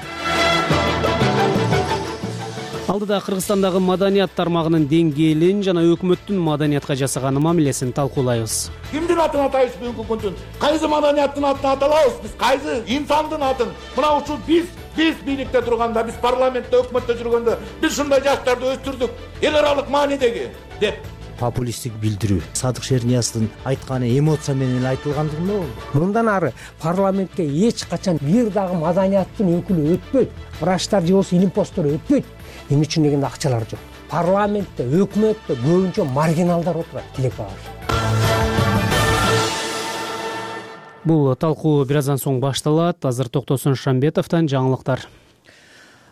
B: Алдыда Кыргызстандагы маданият тармагынын деңгээлин жана өкмөттүн маданиятка жасаган мамилесин талкуулайбыз.
S: Кимдин атын атайбыз бүгүнкү күндүн? Кайсы маданияттын атын аталабыз? Биз кайсы инсандын атын? Мына ушул биз бийликте турганда, биз парламентте, өкмөттө жүргөндө биз ушундай жаштарды өстүрдүк. Эл аралык маанидеги деп
T: популисттик билдирүү Садык Шерниязовдун айтканы эмоция менен айтылгандыгында болду. Мындан ары парламентке эч качан бир дагы маданияттын өкүлү өтпөйт, врачтар же болбосо илим посттор өтпөйт. Эмне үчүн дегенде акчалар жок. Парламентте, өкмөттө көбүнчө маргиналдар отурат, тилек багыш.
B: Бул талкуу бир аздан соң башталат. Азыр Токтосун Шамбетовдон жаңылыктар.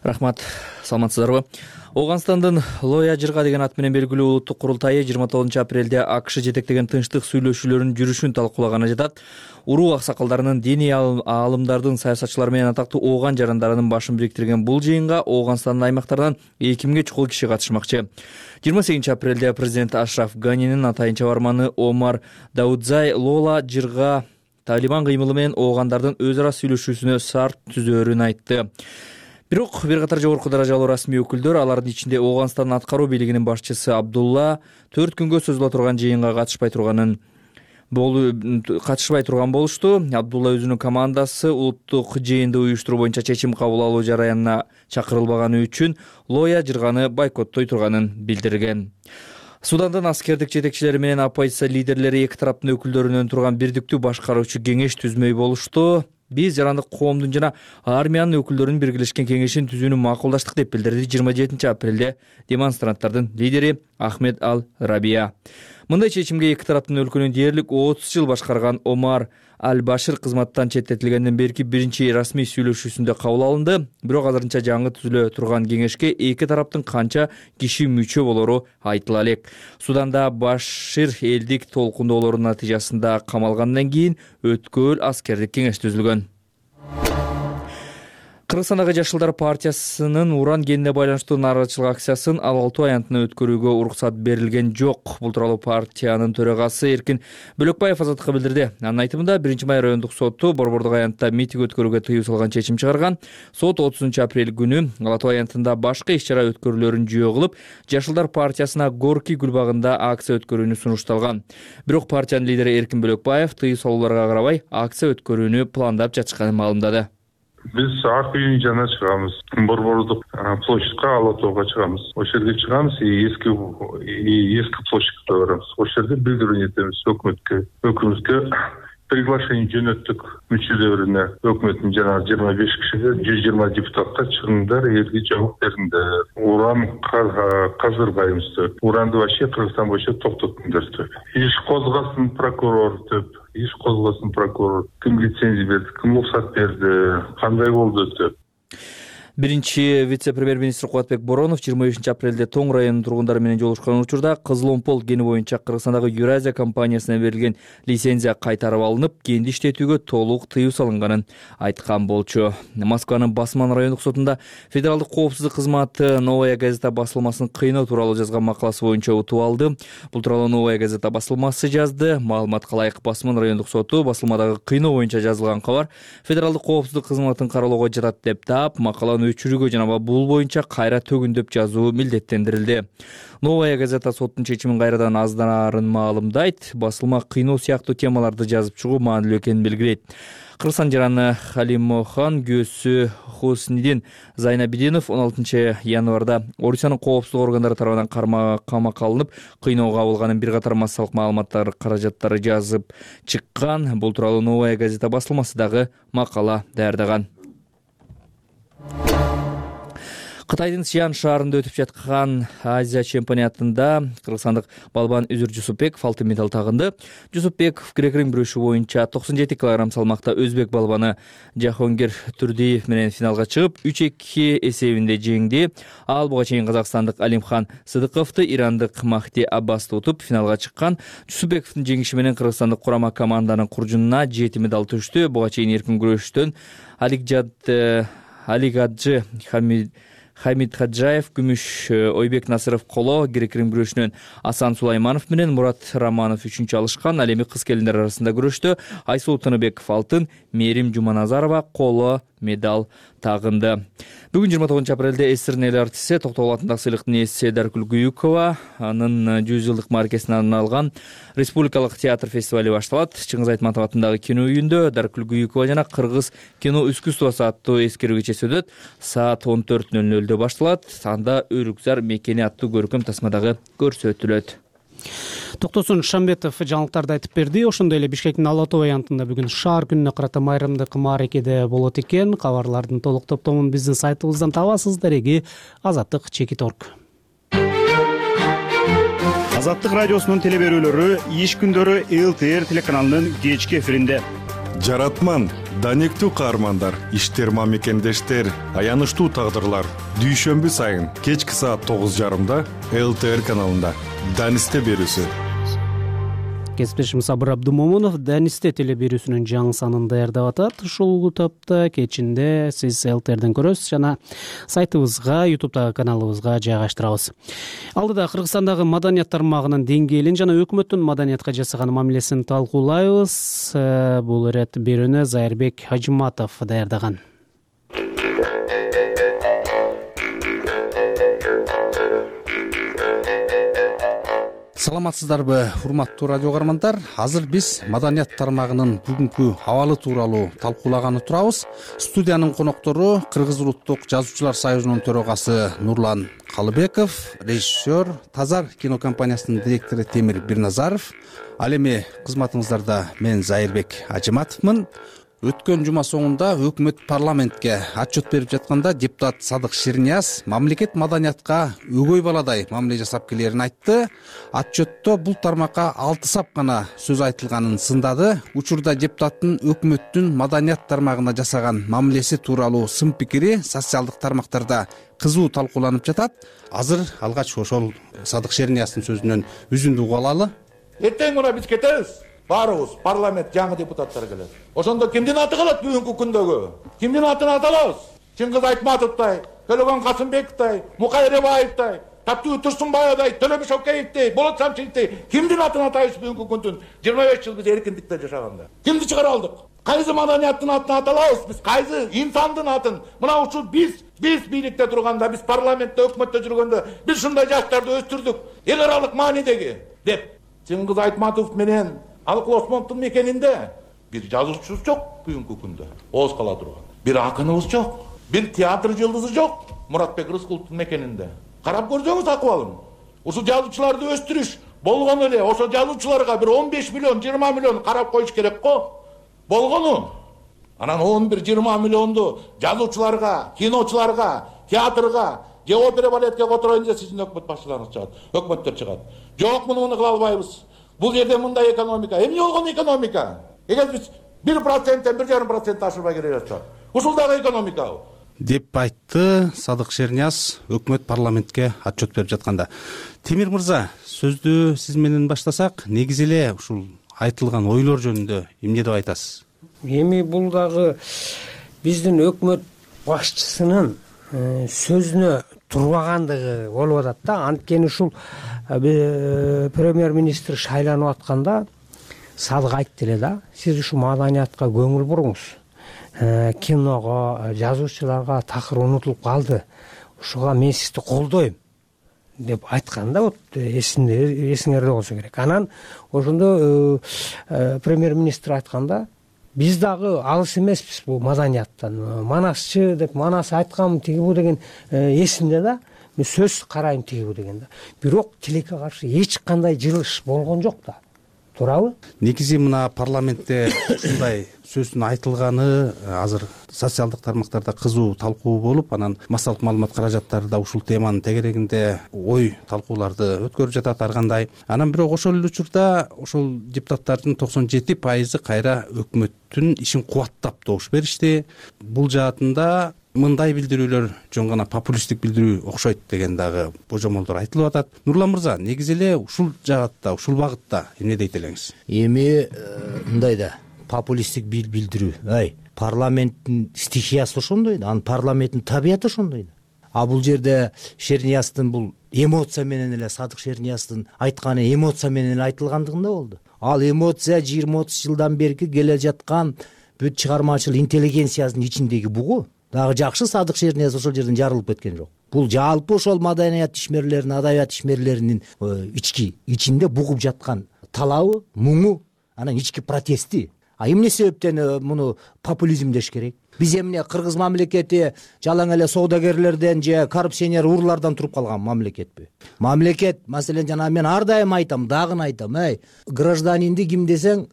E: Рахмат, саламатсыздарбы? Ооганстандын Лоя Жырга деген ат менен белгилүү улуттук курултайы 29 апрелде АКШ жетектеген тынчтык сүйлөшүүлөрүнүн жүрүшүн талкуулаганы жатат. Уруу аксакалдарынын, диний аалымдардын, саясатчылар менен атактуу ооган жарандарынын башын бириктирген бул жыйынга Ооганстандын аймактарынан 2000ге чукул киши катышмакчы. 28 апрелде президент Ашраф Ганинин атайын чабарманы Омар Даудзай Лола Жырга Талибан кыймылы менен оогандардын өз ара сүйлөшүүсүнө шарт түзөөрүн айтты. Бирок бир катар жогорку даражалуу расмий өкүлдөр, алардын ичинде Ооганстандын аткаруу бийлигинин башчысы Абдулла 4 күнгө созула турган жыйынга катышпай турган болушту. Абдулла өзүнүн командасы улуттук жыйынды уюштуруу боюнча чечим кабыл алуу жараянына чакырылбаганы үчүн Лоя Жырганы бойкоттой турганын билдирген. Судандын аскердик жетекчилери менен оппозиция лидерлери эки тараптын өкүлдөрүнөн турган бирдиктүү башкаруучу кеңеш түзмөй болушту. Биз жарандык коомдун жана армиянын өкүлдөрүнүн биргелешкен кеңешин түзүүнү макулдаштык деп билдирди 27 апрелде демонстранттардын лидери Ахмед Ал-Рабия. Мындай чечимге эки тараптын өлкөнү дээрлик 30 жыл башкарган Омар Аль-Башир кызматтан четтетилгенден берки биринчи расмий сүйлөшүүсүндө кабыл алынды. Бирок азырынча жаңы түзүлө турган кеңешке эки тараптын канча киши мүчө болору айтыла элек. Суданда Башир элдик толкундоолордун натыйжасында камалгандан кийин өткөл аскердик кеңеш түзүлгөн. Кыргызстандагы Жашылдар партиясынын уран кенине байланыштуу нааразычылык акциясын 6 аянтына өткөрүүгө уруксат берилген жок. Бул тууралуу партиянын төрагасы Эркин Бөлөкбаев Азаттыкка билдирди. Анын айтымында 1-май райондук соту борбордук аянтта митинг өткөрүүгө тыюу салган чечим чыгарган. Сот 30 апрель күнү Ала Тоо аянтында башка иш-чара өткөрүүлөрүн жөө кылып, Жашылдар партиясына Горки гүлбагында акция өткөрүүнү сунушталган. Бирок партиянын лидери Эркин Бөлөкбаев тыюу салууларга карабай акция өткөрүүнү пландап жатышканын маалымдады.
U: Биз ак үйүн жана чыгабыз. Борбордук площадька, Ала Тоого чыгабыз. Ошол жерге чыгабыз и эски площадька барабыз. Ошол жерде билдирүү этебиз өкмөткө приглашение жөнөттүк мүчөлөрүнө. Өкмөттүн жана 25 кишиге 120 депутатка чыгыңдар, элге жооп бериңдер. Уран каздырбайбыз деп. Уранды вообще Кыргызстан боюнча токтоттуңдар деп. Иш козгасын прокурор деп. Иш козгосын прокурор, ким лицензия берди, ким уруксат берди, кандай болду деп.
E: Биринчи вице-премьер-министр Кубатбек Боронов 25 апрелде Тоң районунун тургундары менен жолугушкан учурда Кызыломпол кени боюнча Кыргызстандагы Юразия компаниясына берилген лицензия кайтарып алынып, кенди иштетүүгө толук тыюу салынганын айткан болчу. Москванын Басман райондук сотунда Федералдык коопсуздук кызматы Новая газета басылмасын кыйноо тууралуу жазган макаласы боюнча утуп алды. Бул тууралуу Новая газета басылмасы жазды. Маалыматка ылайык Басман райондук соту басылмадагы кыйноо боюнча жазылган кабар Федералдык коопсуздук кызматын кароолоого жатат деп таап, макаланы өчүрүүгө жана бул боюнча кайра төгүндөп жазуу милдеттендирилди. Новая газета соттун чечимин кайрадан аздарын маалымдайт, басылма кыйноо сыяктуу темаларды жазып чыгуу маанилүү экенин белгилейт. Кыргызстан жараны Халимохан күйөөсү Хуснидин Зайнабидинов 16 январда Орусиянын коопсуздук органдары тарабынан камакка алынып, кыйноого кабылганын бир катар массалык маалыматтар каражаттары жазып чыккан. Бул тууралуу Новая газета басылмасы дагы макала даярдаган. Кытайдын Сиан шаарында өтүп жаткан Азия чемпионатында кыргызстандык балбан Үзүр Жусупбеков алтын медаль тагынды. Жусупбеков грек-рим күрөшү боюнча 97 кг салмакта өзбек балбаны Жахонгир Турдиев менен финалга чыгып, 3-2 эсебинде жеңди. Ал буга чейин казакстандык Алимхан Сыдыковду, ирандык Махди Аббасты утуп финалга чыккан. Жусупбековдун жеңиши менен кыргызстандык курама команданын куржунуна 7 медаль түштү. Буга чейин эркин күрөштөн Алигаджы Хамид Хаджаев күмүш, Ойбек Насыров коло, грек-рим күрөшүнөн Асан Сулайманов менен Мурат Романов 3-чү алышкан. Ал эми кыз келиндер арасында күрөштө Айсул Тыныбеков алтын, Мерим Жуманазарова коло медаль тагынды. Бүгүн 29 апрелде СССРдин эл артисти Токтогул атындагы сыйлыктын ээси Даркүл Гүйүкова анын 100 жылдык мааракесине арналган Республикалык театр фестивали башталат. Чыңгыз Айтматов атындагы кино үйүндө Даркүл Гүйүкова жана Кыргыз кино искусствосу аттуу эскерүү кечеси өтөт. Саат 14:00 башталат. Анда Өрүкзар мекени аттуу көркөм тасма дагы көрсөтүлөт.
B: Токтосун Шамбетов жаңылыктарды айтып берди. Ошондой эле Бишкектин Ала Тоо аянтында бүгүн шаар күнүнө карата майрамдык мааракеде болот экен. Кабарлардын толук топтомун биздин сайтыбыздан табасыз. Дареги Азаттык Чекиторг.
A: Азаттык радиосунун телеберүүлөрү иш күндөрү ЛТР телеканалынын кечки эфиринде.
V: Жаратман, данектүү каармандар, иштер мамекендештер, аянычтуу тагдырлар. Дүйшөмбү сайын кечки саат 9:30 ЛТР каналында Данисте берүүсү.
B: Кесиптешим Сабыр Абдумомунов Данисте телеберүүсүнүн жаңы санын даярдап атат. Ушул топто кечинде сиз ЛТРден көрөсүз жана сайтыбызга, YouTube'дагы каналыбызга жайгаштырабыз. Алдыда Кыргызстандагы маданият тармагынын деңгээлин жана өкмөттүн маданиятка жасаган мамилесин талкуулайбыз. Бул ирет берүүнү Зайырбек Хажыматов даярдаган.
W: Саламатсыздарбы, урматтуу радио каармандар. Азыр биз маданият тармагынын бүгүнкү абалы тууралуу талкуулаганы турабыз. Студиянын коноктору Кыргыз улуттук жазуучулар союзунун төрагасы Нурлан Калыбеков, режиссер, Тазар кинокомпаниясынын директору Темир Бирназаров. Ал эми кызматыңыздарда мен Зайырбек Хажыматовмун. Өткөн жума соңунда өкмөт парламентке отчет берип жатканда депутат Садык Ширнияз мамлекет маданиятка өгөй баладай мамиле жасап келерин айтты. Отчетто бул тармакка 6 сап гана сөз айтылганын сындады. Учурда депутаттын өкмөттүн маданият тармагына жасаган мамилеси тууралуу сын пикири социалдык тармактарда кызуу талкууланып жатат. Азыр алгач ошол Садык Ширнияздын сөзүнөн үзүндү угуп алалы.
S: Эртең мына биз кетебиз. Баарыбыз парламент жаңы депутаттар келет. Ошондо кимдин аты калат бүгүнкү күндөгү? Кимдин атын аталабыз? Чыңгыз Айтматовдой, Төлөгөн Касымбековдой, Мукай Ребаевдой, Таптуу Турсунбаевдой, Төлөбүш Океевдей, Болот Самчиевдей кимдин атын атайбыз бүгүнкү күндүн 25 жыл биз эркиндикте жашаганда? Кимди чыгара алдык? Кайсы маданияттын атын аталабыз биз? Кайсы инсандын атын? Мына ушул биз бийликте турганда, биз парламентте, өкмөттө жүргөндө биз ушундай жаштарды өстүрдүк. Эл аралык маанидеги деп Чыңгыз Айтматов менен Алыкул Осмоновдун мекенинде бир жазуучубуз жок бүгүнкү күндө. Ооз кала турган. Бир акыныбыз жок. Бир театр жылдызы жок Муратбек Рыскуловдун мекенинде. Карап көрсөңүз акыбалын. Ушул жазуучуларды өстүрүш болгону эле ошо жазуучуларга бир 15 миллион, 20 миллион карап коюш керек го. Болгону. Анан 11-20 миллионду жазуучуларга, киночуларга, театрга, же опера балетке котороюн десе сиздин өкмөт башчыларыңыз чыгат, өкмөттөр чыгат. Жок, муну кыла албайбыз. Бул жерде мындай экономика. Эмне болгон экономика? Эгер биз 1%-тен 1,5% ашырбай келе жатсак, ушул дагы экономика.
W: Деп айтты Садык Ширнияз өкмөт парламентке отчет берип жатканда. Темир мырза, сөздү сиз менен баштасак, негизи эле ушул айтылган ойлор жөнүндө эмне деп айтасыз?
T: Эми бул дагы биздин өкмөт башчысынын сөзүнө турбагандыгы болуп атат да. Анткени ушул премьер-министр шайланып атканда Садык айтты эле да, сиз ушу маданиятка көңүл буруңуз. киного, жазуучуларга такыр унутулуп калды. Ошого мен сизди колдойм деп айткан да, вот эсиңерде болсо керек. Анан ошондо премьер-министр айтканда биз дагы алыс эмеспиз бул маданияттан. Манасчы деп манас айткам тигибу деген эсимде да. Мен сөзсүз карайм тигибу деген да. Бирок тилекке каршы эч кандай жылыш болгон жок да. Туурабы?
W: Негизи мына парламентте ушундай сөздүн айтылганы азыр социалдык тармактарда кызуу талкуу болуп, анан массалык маалымат каражаттары да ушул теманын тегерегинде ой талкууларды өткөрүп жатат ар кандай. Анан бирок ошол эле учурда ошол депутаттардын 97% кайра өкмөттүн ишин кубаттап добуш беришти. Бул жаатында мындай билдирүүлөр жөн гана популисттик билдирүү окшойт деген дагы божомолдор айтылып атат. Нурлан мырза, негизи эле ушул жаатта, ушул багытта эмне дейт элеңиз?
F: Эми мындай да популисттик билдирүү. Парламенттин стихиясы ошондой да, анын парламенттин табияты ошондой да. А бул жерде Шернияздын бул эмоция менен эле, Садык Шернияздын айтканы эмоция менен эле айтылгандыгында болду. Ал эмоция 20-30 жылдан берки келе жаткан бүт чыгармачыл интеллигенциянын ичиндеги бугу. Дагы жакшы Садык Шернияз ошол жерден жарылып кеткен жок. Бул жалпы ошол маданият ишмерлеринин, адабият ишмерлеринин ичинде бугуп жаткан талабы, муңу, анан ички протести. А эмне себептен муну популизм деш керек? Биз эмне Кыргыз мамлекети жалаң эле соодагерлерден же коррупционер урлардан туруп калган мамлекетпи? Мамлекет, маселен, жана мен ар дайым айтам, дагы айтам, гражданинди ким десең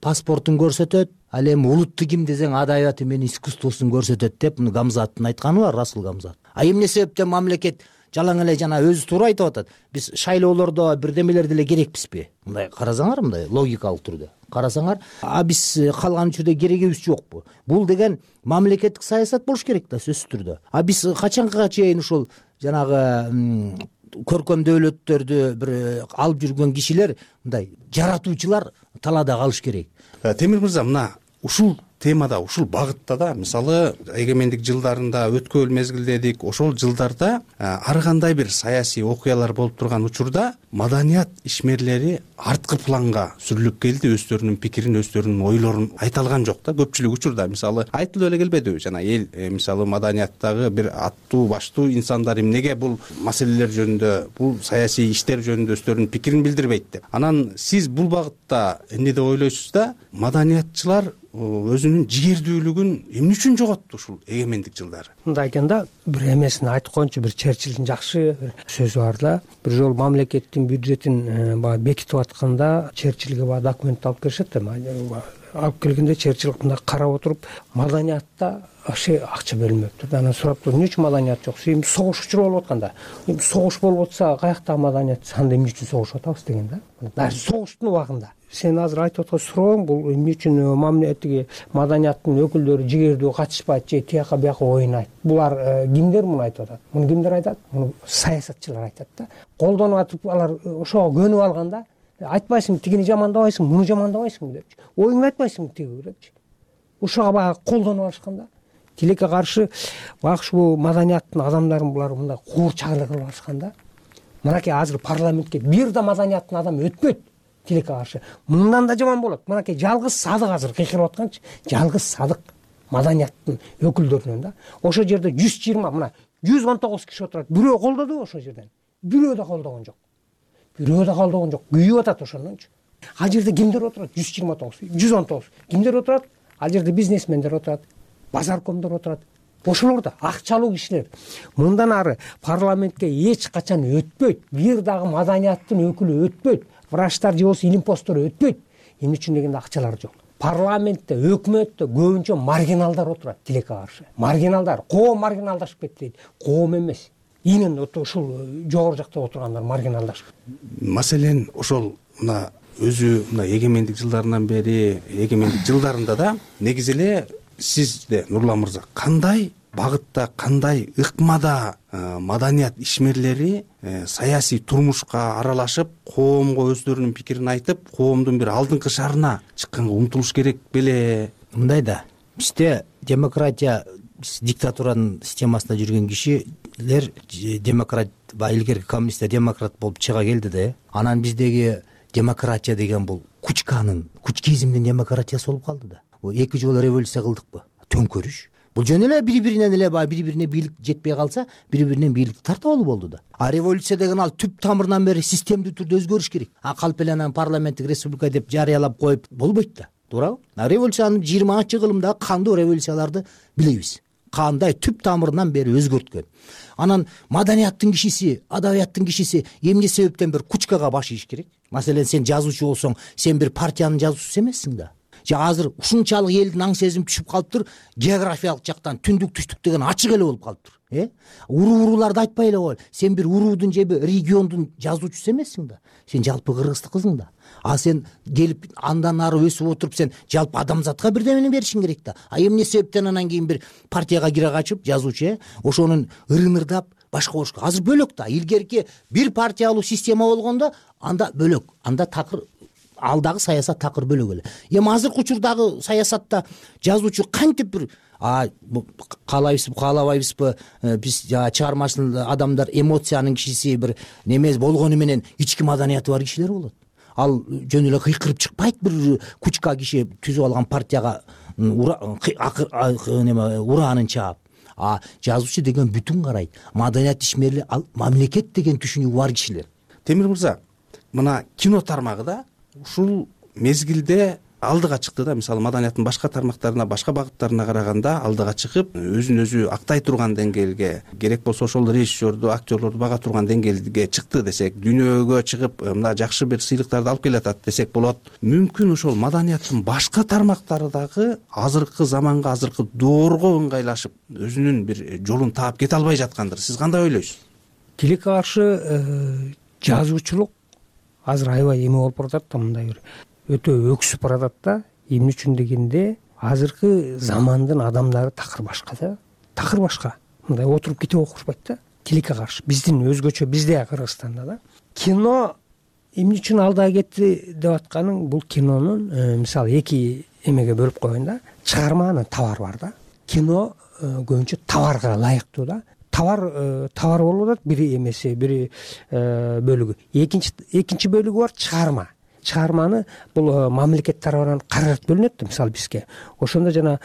F: паспортун көрсөтөт, ал эми улутту ким десең адабияты менен искусствосун көрсөтөт деп муну Гамзаттын айтканы бар, Расул Гамзат. А эмне себептен мамлекет жалаң эле жана өзү туура айтып атат. Биз шайлоолордо бирдемелер деле керекпизби? Мындай карасаңар, мындай логикалык түрдө карасаңар, биз калган учурда керегибиз жокпу? Бул деген мамлекеттик саясат болуш керек да, сөзсүз түрдө. А биз качанга чейин ушул жанагы көркөм дөөлөттөрдү бир алып жүргөн кишилер, мындай жаратуучулар талаада калыш керек.
W: Темир мырза, мына ушул темада, ушул багытта да, мисалы эгемендик жылдарында өткөн мезгилдедик, ошол жылдарда ар кандай бир саясий окуялар болуп турган учурда маданият ишмерлери арткы планга сүрүлүп келди, өздөрүнүн пикирин, өздөрүнүн ойлорун айта алган жок да. Көпчүлүк учурда мисалы айтылып эле келбедиби, жана эл мисалы маданияттагы бир аттуу баштуу инсандар эмнеге бул маселелер жөнүндө, бул саясий иштер жөнүндө өздөрүнүн пикирин билдирбейт деп. Анан сиз бул багытта эмне деп ойлойсуз да? Маданиятчылар өзүнүн жигердүүлүгүн эмне үчүн жоготту ушул эгемендик жылдары?
T: Мындай айтканда, бир эмесин айтып коеюнчу, бир Черчиллдин жакшы бир сөзү бар да. Бир жолу мамлекеттин бюджетин бекитип атканда Черчиллге документ алып келишет да. Алып келгенде Черчилл мындай карап отуруп, маданиятта акча бөлүнмөптүр. Анан сураптыр, эмне үчүн маданият жок? Эми согуш учуру болуп атканда, эми согуш болуп атса, каяктагы маданият, анда эмне үчүн согушуп атабыз деген да. Дагы согуштун убагында. Сен азыр айтып аткан сурооң бул эмне үчүн мамлекеттеги маданияттын өкүлдөрү жигердүү катышпайт же тияка бияка ойнайт? Булар кимдер муну айтып атат? Муну кимдер айтат? Муну саясатчылар айтат да. Колдонуп атып алар ошого көнүп алганда, айтпайсың тигини жамандабайсың, муну жамандабайсың депчи. Оюңду айтпайсың тиги депчи. Ошого баягы колдонуп алышканда, тилекке каршы багы ушул маданияттын адамдарын булар мындай куурчагылык кылып алышканда, мынакей азыр парламентке бир да маданияттын адамы өтпөйт. Тилекке каршы мындан да жаман болот. Мынакей жалгыз Садык азыр кыйкырып атканчы, жалгыз Садык маданияттын өкүлдөрүнөн да. Ошол жерде 120, мына 119 киши отурат. Бирөө колдодубу ошол жерден? Бирөө да колдогон жок. Бирөө да колдогон жок. Күйүп атат ошондончу. Ал жерде кимдер отурат? 129, 119. Кимдер отурат? Ал жерде бизнесмендер отурат, базаркомдор отурат. Ошолор да акчалуу кишилер. Мындан ары парламентке эч качан өтпөйт. Бир дагы маданияттын өкүлү өтпөйт. Врачтар же болсо илим посттор өтпөйт. Эмне үчүн дегенде акчалар жок. Парламентте, өкмөттө көбүнчө маргиналдар отурат тилекке каршы. Маргиналдар, коом маргиналдашып кетти дейт. Коом эмес. Именно ушул жогору жакта отургандар маргиналдашып.
W: Маселен ошол мына өзү мына эгемендик жылдарынан бери, эгемендик жылдарында да негизи эле сизде Нурлан мырза кандай багытта, кандай ыкмада маданият ишмерлери саясий турмушка аралашып, коомго өздөрүнүн пикирин айтып, коомдун бир алдыңкы шарына чыкканга умтулуш керек беле?
F: Мындай да, бизде демократия, диктатуранын системасында жүргөн кишилер демократ, илгерки коммунисттер демократ болуп чыга келди да. Анан биздеги демократия деген бул кучканын, кучкизмдин демократиясы болуп калды да. 2 жолу революция кылдыкпы? төңкөрүш. Бул жөн эле бири биринен эле баягы бири бирине бийлик жетпей калса бири биринен бийликти тартып алуу болду да. А революция деген ал түп тамырынан бери системдүү түрдө өзгөрүш керек. Калп эле анан парламенттик республика деп жарыялап коюп болбойт да, туурабы? Революциянын 20-кылымдагы кандуу революцияларды билебиз. Кандай түп тамырынан бери өзгөрткөн. Анан маданияттын кишиси, адабияттын кишиси эмне себептен бир кучкага баш ийиш керек? Маселен, сен жазуучу болсоң, сен бир партиянын жазуучусу эмессиң да. Же азыр ушунчалык элдин аң сезим түшүп калыптыр, географиялык жактан түндүк түштүк деген ачык эле болуп калыптыр. Урууларды айтпай эле кой. Сен бир уруудун же бир региондун жазуучусу эмессиң да. Сен жалпы кыргыздык кызың да. А сен келип андан ары өсүп отуруп сен жалпы адамзатка бирдемени беришиң керек да. А эмне себептен анан кийин бир партияга кире качып жазуучу ошонун ырынырдап башка болуш керек. Азыр бөлөк да. Илгерки бир партиялуу система болгондо анда бөлөк, анда такыр алдагы саясат такыр бөлөк эле. Эми азыркы учурдагы саясатта жазуучу кантип бир каалайбызбы, каалабайбызбы, биз чыгармачыл адамдар эмоциянын кишиси бир немес болгону менен ички маданияты бар кишилер болот. Ал жөн эле кыйкырып чыкпайт, бир кучка киши түзүп алган партияга ураанын чаап. Жазуучу деген бүтүн карайт. Маданият ишмери, ал мамлекет деген түшүнүгү бар кишилер.
W: Темир мырза, мына кино тармагыда ушул мезгилде алдыга чыкты да. Мисалы, маданияттын башка тармактарына, башка багыттарына караганда алдыга чыгып, өзүн өзү актай турган деңгээлге, керек болсо ошол режиссерду, актерлорду бага турган деңгээлге чыкты десек, дүйнөгө чыгып, мына жакшы бир сыйлыктарды алып келатат десек болот. Мүмкүн ошол маданияттын башка тармактары дагы азыркы заманга, азыркы доорго ыңгайлашып, өзүнүн бир жолун таап кете албай жаткандыр. Сиз кандай ойлойсуз?
T: Тилекке каршы жазуучулук азыр аябай эме болуп баратат да, мындай бир өтө өксүп баратат да. Эмне үчүн дегенде, азыркы замандын адамдары такыр башка да. Такыр башка. Мындай отуруп кете окушпайт да. Тилекке каршы биздин өзгөчө, бизде Кыргызстанда да. Кино эмне үчүн алдыга кетти деп атканың, бул кинонун мисалы эки эмеге бөлүп койгон да. Чыгарманын товар бар да. Кино көбүнчө товарга ылайыктуу да. Товар болуп атат, бири эмеси, бири бөлүгү. Экинчи бөлүгү бар чыгарма. Чыгарманы бул мамлекет тарабынан каражат бөлүнөт да, мисалы бизге. Ошондо жана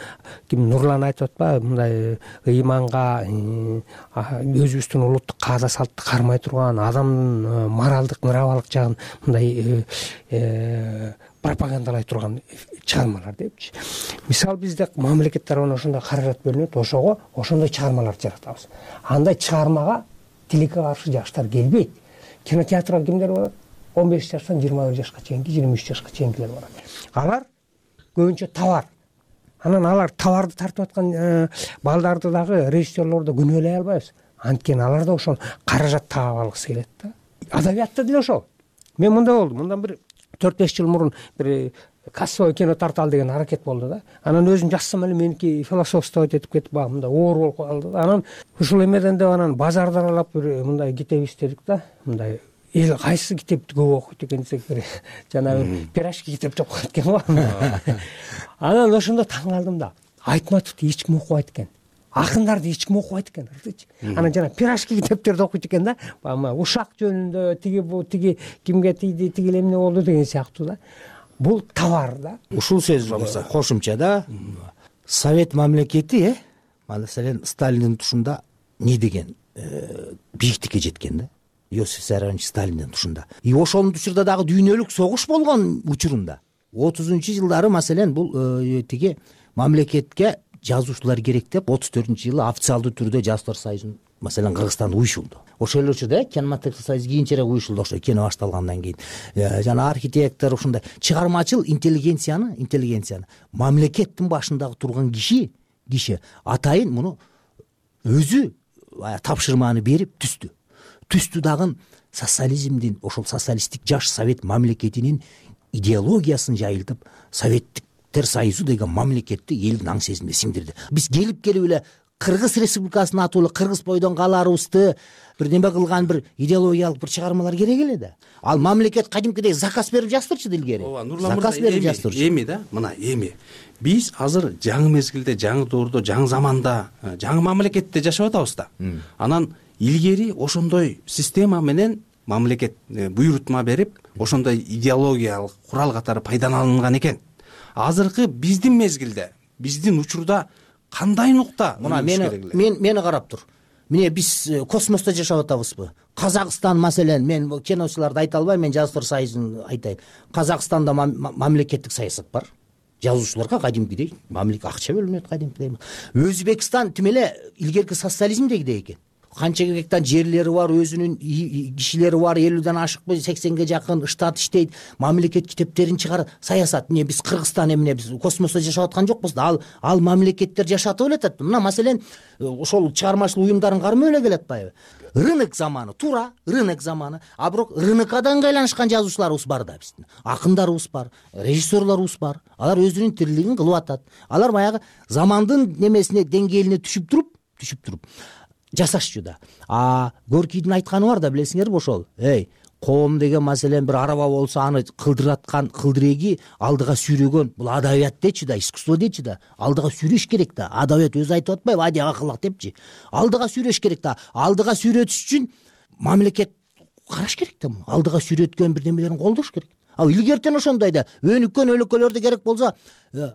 T: ким Нурлан айтып атпайбы, мындай ыйманга, өзүбүздүн улуттук каада салтты кармай турган, адамдын моралдык, нравалык жагын мындай пропагандалай турган чыгармалар депчи. Мисалы, бизде мамлекет тарабынан ошондой каражат бөлүнөт, ошондой чыгармаларды жаратабыз. Андай чыгармага тилекке каршы жаштар келбейт. Кинотеатрга кимдер барат? 15 жаштан 21 жашка чейинки, 23 жашка чейинкилер барат. Алар көбүнчө товар. Анан алар товарды тартып аткан балдарды дагы режиссерлорду күнөөлөй албайбыз. Анткени алар да ошол каражат таап алгысы келет да. Адабиятта деле ошол. Мен мындай болду. Мындан бир 4-5 жыл мурун бир кассовый кино тарталы деген аракет болду да. Анан өзүм жазсам эле меники философствовать этип кетип багы мындай оор болуп калды да. Анан ушул эмеден деп анан базарды аралап бир мындай китеп издедик да. Мындай эл кайсы китепти көп окуйт экен десек, бир жанагы пирожки китеп деп коет экен го. Анан ошондо таң калдым да. Айтматовду эч ким окубайт экен. Акындарды эч ким окубайт экен. Анан жана пирожки китептерди окуйт экен да. Ушак жөнүндө тиги кимге тийди, тиги эмне болду деген сыяктуу да. Бул товар да.
F: Ушул сөз кошумча да. Совет мамлекети, маселен Сталиндин тушунда не деген бийиктикке жеткен да. Иосиф Виссарионович Сталиндин тушунда. Ошонун учурда дагы дүйнөлүк согуш болгон учурунда 30-жылдары маселен бул тиги мамлекетке жазуучулар керек деп 34-жылы официалдуу түрдө Жазуучулар союзун маселен Кыргызстанда уюшулду. Ошол эле учурда кинематограф союз кийинчерээк уюшулду, ошо кино башталгандан кийин. Жана архитектор ушундай чыгармачыл интеллигенцияны мамлекеттин башындагы турган киши атайын муну өзү тапшырманы берип түстү дагы социализмдин, ошол социалисттик жаш совет мамлекетинин идеологиясын жайылтып, Советтиктер союзу деген мамлекетти элдин аң сезимине сиңдирди. Биз келип эле Кыргыз Республикасынын атуулуу кыргыз бойдон каларыбызды бир неме кылган бир идеологиялык бир чыгармалар керек эле да. Ал мамлекет кадимкидей заказ берип жаздырчу илгери. Заказ берип жаздырчу.
W: Эми да, мына эми биз азыр жаңы мезгилде, жаңы доордо, жаңы заманда, жаңы мамлекетте жашап атабыз да. Анан илгери ошондой система менен мамлекет буйрутма берип, ошондой идеологиялык курал катары пайдаланган экен. Азыркы биздин мезгилде, биздин учурда кандай нукта
F: мына мени карап тур. Міне биз космоста жашап атабызбы? Казакстан маселен, мен киночуларды айта албайм, мен Жазуучулар союзун айтайын. Казакстанда мамлекеттик саясат бар. Жазуучуларга кадимкидей акча бөлүнөт кадимкидей. Өзбекстан тим эле илгерки социализмдегидей экен. Канча гектар жерлери бар, өзүнүн кишилери бар, 50ден ашыкпы 80ге жакын штат иштейт, мамлекет китептерин чыгарат, саясат. Эмне биз Кыргызстан эмне биз космосто жашап аткан жокпуз да, ал мамлекеттер жашатып эле атат. Мына маселен ошол чыгармачылык уюмдарын кармай эле келатпайбы? Рынок заманы, туура, рынок заманы. А бирок рынокадан айланышкан жазуучуларыбыз бар да биздин. Акындарыбыз бар, режиссерлорубуз бар. Алар өзүнүн тирилигин кылып атат. Алар баягы замандын немесине, деңгээлине түшүп туруп жасашчу да. Горкийдин айтканы бар да, билесиңерби ошол. Коом деген маселен бир араба болсо аны кылдыраткан кылдыреги алдыга сүйрөгөн. Бул адабият дечи да, искусство дечи да. Алдыга сүйрөш керек да. Адабият өзү айтып атпайбы, ади акылак депчи. Алдыга сүйрөш керек да. Алдыга сүйрөтүш үчүн мамлекет караш керек да. Алдыга сүйрөткөн бир нерселерин колдош керек. Илгертен ошондой да. Өнүккөн өлкөлөрдө керек болсо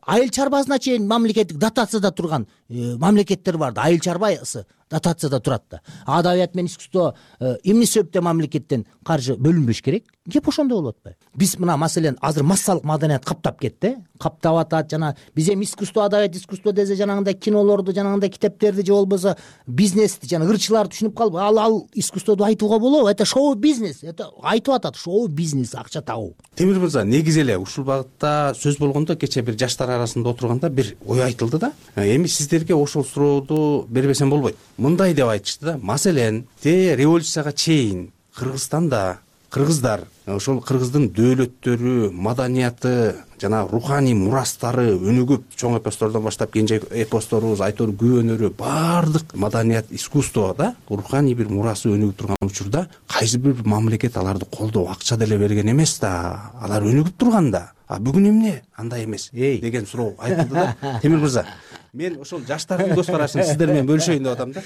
F: айыл чарбасына чейин мамлекеттик дотацияда турган мамлекеттер бар да. Айыл чарбасы дотацияда турат да. Адабият менен искусство эмне себептен мамлекеттен каржы бөлүнбөш керек? Кеп ошондой болуп атпайбы? Биз мына маселен азыр массалык маданият каптап кетти. Каптап атат жана биз эми искусство, адабият, искусство десе жанагындай кинолорду, жанагындай китептерди же болбосо бизнести, жана ырчыларды түшүнүп калып, ал искусстводу айтууга болобу? Это шоу-бизнес. Это айтып атат, шоу-бизнес, акча табуу.
W: Темир мырза, негизи эле ушул багытта сөз болгондо кечээ бир жаштар арасында отурганда бир ой айтылды да. Эми сиздерге ошол сурооду бербесем болбойт. Мындай деп айтышты да. Маселен, революцияга чейин Кыргызстанда кыргыздар ошол кыргыздын дөөлөттөрү, маданияты жана руханий мурастары өнүгүп, чоң эпостордон баштап кенже эпосторубуз, айтор күбөнөрү, баардык маданият, искусство да, руханий бир мурасы өнүгүп турган учурда кайсы бир мамлекет аларды колдоо, акча деле берген эмес да. Алар өнүгүп турган да. Бүгүн эмне андай эмес деген суроо айтылды да. Темир мырза, мен ошол жаштардын көз карашын сиздер менен бөлүшөйүн деп атам да.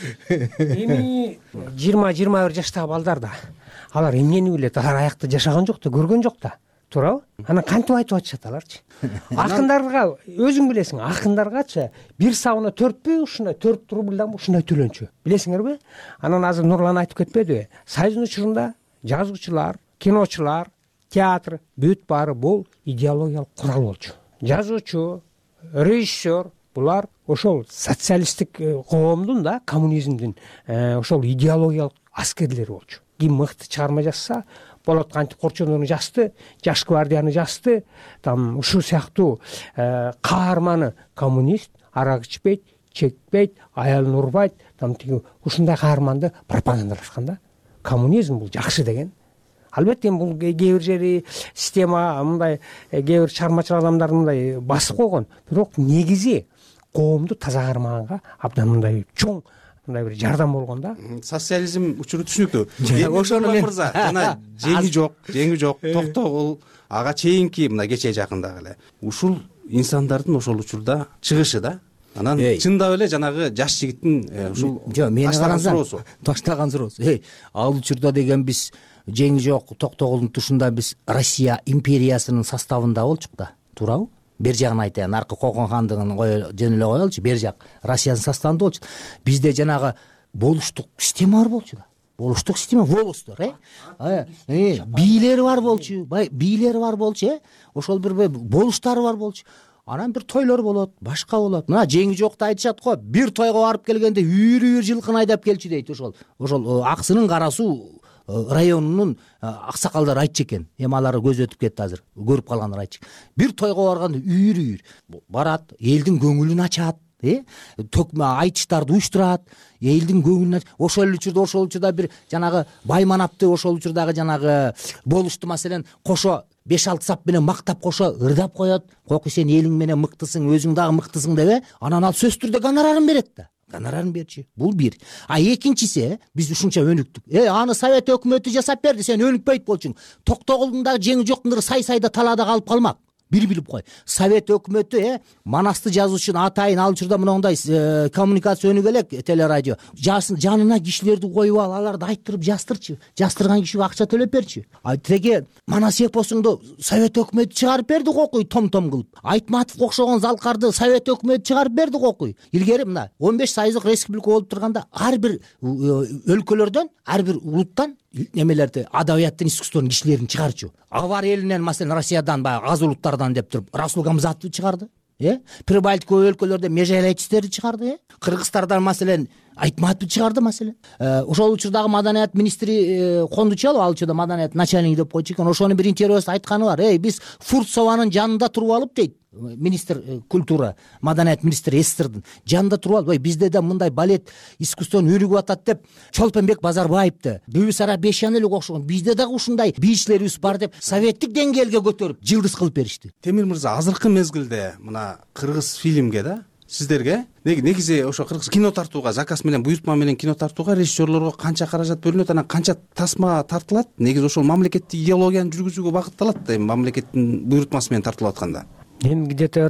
T: Эми 20-21 жаштагы балдар да, алар эмнени билет? Алар аякта жашаган жок да, көргөн жок да. Туурабы? Анан кантип айтып атышат аларчы? Акындарга өзүң билесиң, акындаргачы бир сабына 4 ушундай 4 рубльдан ушундай төлөнчү. Билесиңерби? Анан азыр Нурлан айтып кетпедиби? Союздун учурунда жазуучулар, киночулар, театр бүт баары бул идеологиялык курал болчу. Жазуучу, режиссер булар ошол социалисттик коомдун да, коммунизмдин ошол идеологиялык аскерлери болчу. Ким мыкты чыгарма жазса болот, кантип Корчоновну жазды, Жаш гвардияны жазды, там ушул сыяктуу каарманы коммунист, арак ичпейт, чекпейт, аялын урбайт, там тиги ушундай каарманды пропагандалашкан да. Коммунизм бул жакшы деген. Албетте бул кээ бир жери система мындай кээ бир чыгармачыл адамдар мындай басып койгон, бирок негизи коомду таза кармаганга абдан мындай чоң мындай бир жардам болгон да.
W: Социализм учуру түшүнүктүү. Ошону мырза жана жеңи жок, токтогул, ага чейинки мына кечээ жакындагы эле ушул инсандардын ошол учурда чыгышы да. Анан чындап эле жанагы жаш жигиттин ушул
F: таштаган суроосу. Ал учурда деген биз жеңи жок, токтогулдун тушунда биз Россия империясынын составында болчук да. Туурабы? Бер жагын айтайын, аркы Кокон хандыгын жөн эле коелучу, бер жак Россиянын составында болчу. Бизде жанагы болуштук система бар болчу да. Болуштук система, волостор, бийлери бар болчу, ошол бир болуштары бар болчу. Анан бир тойлор болот, башка болот. Мына жеңи жокто айтышат го, бир тойго барып келгенде үйрү жылкын айдап келчү дейт. Ошол Аксынын Кара Суу районунун аксакалдары айтчу экен. Эми алар көз өтүп кетти азыр. Көрүп калгандар айтчу. Бир тойго барганда үйрү барат, элдин көңүлүн ачат, төкмө айтыштарды уюштурат, элдин көңүлүн ошол учурда бир жанагы Байманапты ошол учурдагы жанагы болушту маселен кошо 5-6 сап менен мактап кошо ырдап коет. Кокуй сен элиң менен мыктысың, өзүң дагы мыктысың деп, анан ал сөзсүз түрдө гонорарын берет да. Гонорарын берчи. Бул бир. Экинчиси, биз ушунча өнүктүк. Аны Совет өкмөтү жасап берди, сен өнүкпөйт болчуң. Токтогулдун дагы жеңи жоктундур сай-сайда талаада калып калмак. бир билип кой, совет өкмөтү Манасты жазуучунун атайын ал учурда мындай коммуникация өнүгө элек телерадио жанына кишилерди коюп аларды айттырып жастырчы, жастырган кишиге акча төлөп берчи. Теге Манас эпосуңду совет өкмөтү чыгарып берди окуй, том кылып. Айтматовго окшогон залкарды совет өкмөтү чыгарып берди окуй. Илгери мына 15 сайыздык республика болуп турганда ар бир өлкөлөрдөн, ар бир улуттан немелерди, адабияттын, искусствонун кишилерин чыгарчу. Авар элинен, маселен, Россиядан, баягы аз улуттардан деп туруп Расул Гамзатовду чыгарды. Прибалтика өлкөлөрдө Межелечтерди чыгарды. Кыргызстардан, маселен, Айтматовду чыгарды, маселен. Ошол учурдагы маданият министри Кондучалов, ал учурда маданият начальнигы деп койчу экен. Ошонун бир интервьюсунда айтканы бар. Биз Фурцованын жанында туруп алып дейт. Министр культура, маданият министри СССРдин жанында туруп алып, бизде да мындай балет искусствонун өнүгүп атат деп Чолпонбек Базарбаевди, Бүбүсара Бешен эле окшогон бизде дагы ушундай бийчилерибиз бар деп советтик деңгээлге көтөрүп жылдыз кылып беришти.
W: Темир мырза, азыркы мезгилде мына кыргыз фильмге да сиздерге негизи ошо кыргыз кино тартууга, заказ менен, буйртма менен кино тартууга режиссерлорго канча каражат бөлүнөт, анан канча тасма тартылат? Негизи ошол мамлекеттик идеологияны жүргүзүүгө багытталат, мамлекеттин буйртмасы менен тартылып атканда.
T: Эми где-то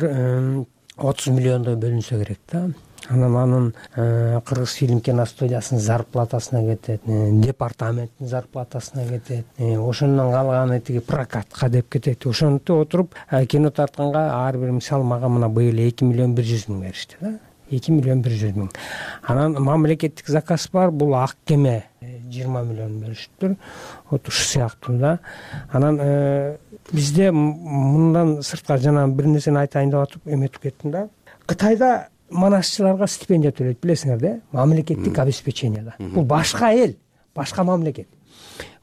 T: 30 миллиондой бөлүнсө керек да. Анан кыргыз фильм киностудиясынын зарплатасына кетет, департаменттин зарплатасына кетет, ошондон калганы тиги прокатка деп кетет. Ошентип отуруп кино тартканга ар бир, мисалы, мага мына быйыл 2 миллион 100 миң беришти да. 2 миллион 100 миң. Анан мамлекеттик заказ бар, бул ак кеме 20 миллион беришиптир. Вот ушу сыяктуу да. Анан бизде мындан сырткары жана бир нерсени айтайын деп атып эметип кеттим да. Кытайда манасчыларга стипендия төлөйт, билесиңер да, мамлекеттик обеспечение да. Бул башка эл, башка мамлекет.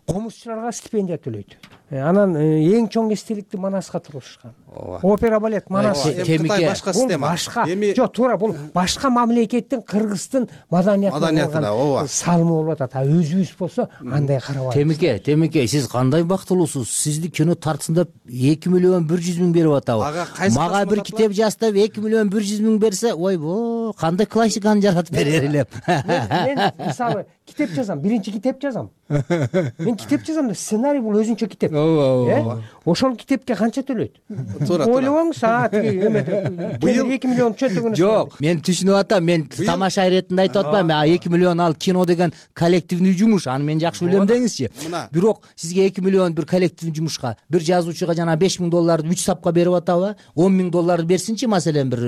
T: Комузчуларга стипендия төлөйт. Анан эң чоң эстеликти Манаска тургузушкан. Опера балет Манас.
W: Кытай башка система.
T: Жок, туура, бул башка мамлекеттин, Кыргыздын маданиятына салымы болуп атат. Өзүбүз болсо андай карабайбыз.
F: Темеке, сиз кандай бактылуусуз? Сизди кино тартсын деп 2 миллион 100 миң берип атабы? Мага бир китеп жастап 2 миллион 100 миң берсе, ойбо, кандай классиканы жаратып берер элем.
T: Мен мисалы китеп жазам, биринчи китеп жазам. Мен китеп жазам да, сценарий бул өзүнчө китеп. Ошол китепке канча төлөйт? Ойлобоңуз, быйыл 2 миллион чөтөгүн.
F: Жок, мен түшүнүп атам, мен тамаша иретинде айтып атпайм. 2 миллион ал кино деген коллективный жумуш, аны мен жакшы билем деңизчи. Бирок сизге 2 миллион бир коллективный жумушка, бир жазуучуга жана 5 миң долларды 3 сапка берип атабы? 10 миң долларды берсинчи, маселен бир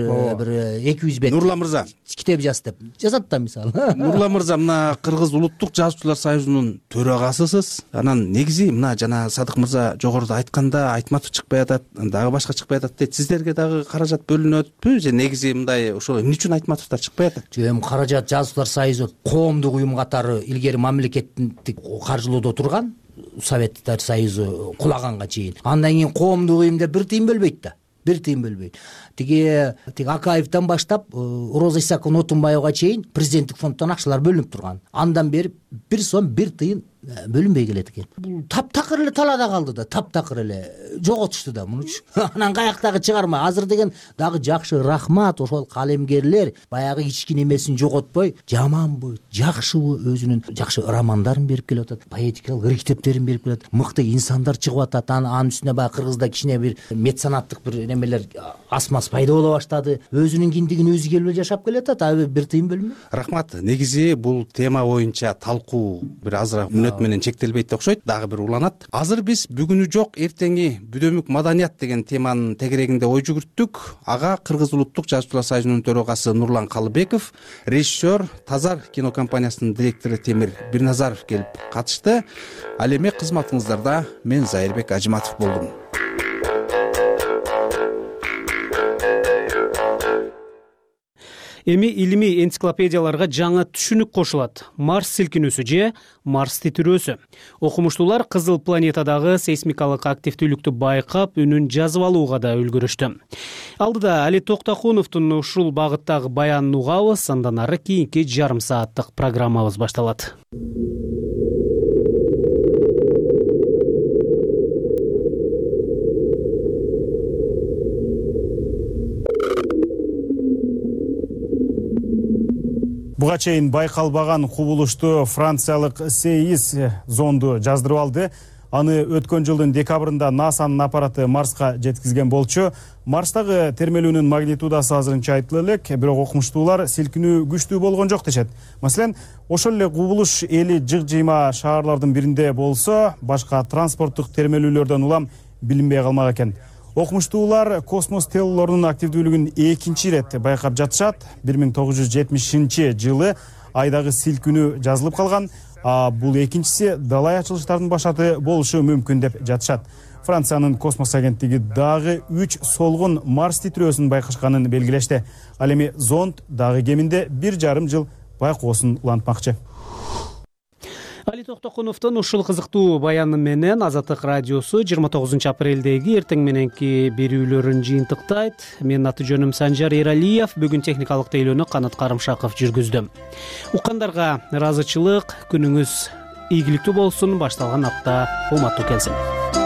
F: 200 бет.
W: Нурлан мырза,
F: китеп жаз деп жазат да, мисалы.
W: Нурлан мырза, мына Кыргыз улуттук жазуучулар союзунун төрагасысыз. Анан негизи мына жана Садык мырза жогоруда айтканда Айтматов чыкпай атат, дагы башка чыкпай атат дейт. Сиздерге дагы каражат бөлүнөтпү же негизи мындай ошол эмне үчүн Айтматовдор чыкпай атат?
F: Эми каражат жазуучулар союзу коомдук уюм катары илгери мамлекеттик каржылоодо турган, Советтер союзу кулаганга чейин. Андан кийин коомдук уюм деп бир тыйын бөлбөйт да. Бир тыйын бөлбөйт. Тиги Акаевден баштап Роза Исаковна Отунбаевга чейин президенттик фонддон акчалар бөлүнүп турган. Андан бери 1 сом 1 тыйын бөлүнбөй келет экен. Таптакыр эле талаада калды да, таптакыр эле жоготушту да мунучу. Анан каяктагы чыгарма азыр деген дагы жакшы, рахмат, ошол калемгерлер баягы кичкине эмесин жоготпой, жаманбы, жакшыбы өзүнүн жакшы романдарын берип келип атат, поэтикалык ыр китептерин берип келип атат, мыкты инсандар чыгып атат. Анын үстүнө баягы Кыргызда кичине бир меценаттык бир немелер асмас пайда боло баштады. Өзүнүн киндигин өзү келип жашап келатат, бир тыйын бөлмөй.
W: Рахмат. Негизи бул тема боюнча талкуу бир азыраак мүнөт менен чектелбейт деп окшойт, дагы бир уланат. Азыр биз бүгүнү жок, эртеңи бүдөмүк маданият деген теманын тегерегинде ой жүгүрттүк. Ага Кыргыз улуттук жазуучулар союзунун төрагасы Нурлан Калыбеков, режиссер Тазар кинокомпаниясынын директору Темир Бирназаров келип катышты. Ал эми кызматыңыздарда мен Зайырбек Ажиматов болдум.
B: Эми илимий энциклопедияларга жаңы түшүнүк кошулат. Марс силкинүүсү же Марс титирөөсү. Окумуштуулар кызыл планетадагы сейсмикалык активдүүлүктү байкап, үнүн жазып алууга да үлгүрүштү. Алдыда Али Токтокуновдун ушул багыттагы баянын угабыз, андан ары кийинки жарым сааттык программабыз башталат.
A: Буга чейин байкалбаган кубулушту франциялык СЕИС зонду жаздырып алды. Аны өткөн жылдын декабрында НАСАнын аппараты Марска жеткизген болчу. Марстагы термелүүнүн магнитудасы азырынча айтыла элек, бирок окумуштуулар силкинүү күчтүү болгон жок дешет. Маселен, ошол эле кубулуш эли жык-жыйма шаарлардын биринде болсо, башка транспорттук термелүүлөрдөн улам билинбей калмак экен. Окумуштуулар космос телолорунун активдүүлүгүн экинчи ирет байкап жатышат. 1970-жылы айдагы силкинүү жазылып калган, а бул экинчиси далай ачылыштардын башаты болушу мүмкүн деп жатышат. Франциянын космос агенттиги дагы 3 солгун Марс титирөөсүн байкашканын белгилешти. Ал эми зонд дагы кеминде 1,5 жыл байкоосун улантмакчы.
B: Али Токтокуновдун ушул кызыктуу баяны менен Азаттык радиосу 29 апрелдеги эртең мененки берүүлөрүн жыйынтыктайт. Менин аты жөнүм Санжар Эралиев. Бүгүн техникалык тейлөөнү Канат Карымшаков жүргүздү. Уккандарга ыраазычылык, күнүңүз ийгиликтүү болсун. Башталган апта уматтуу келсин.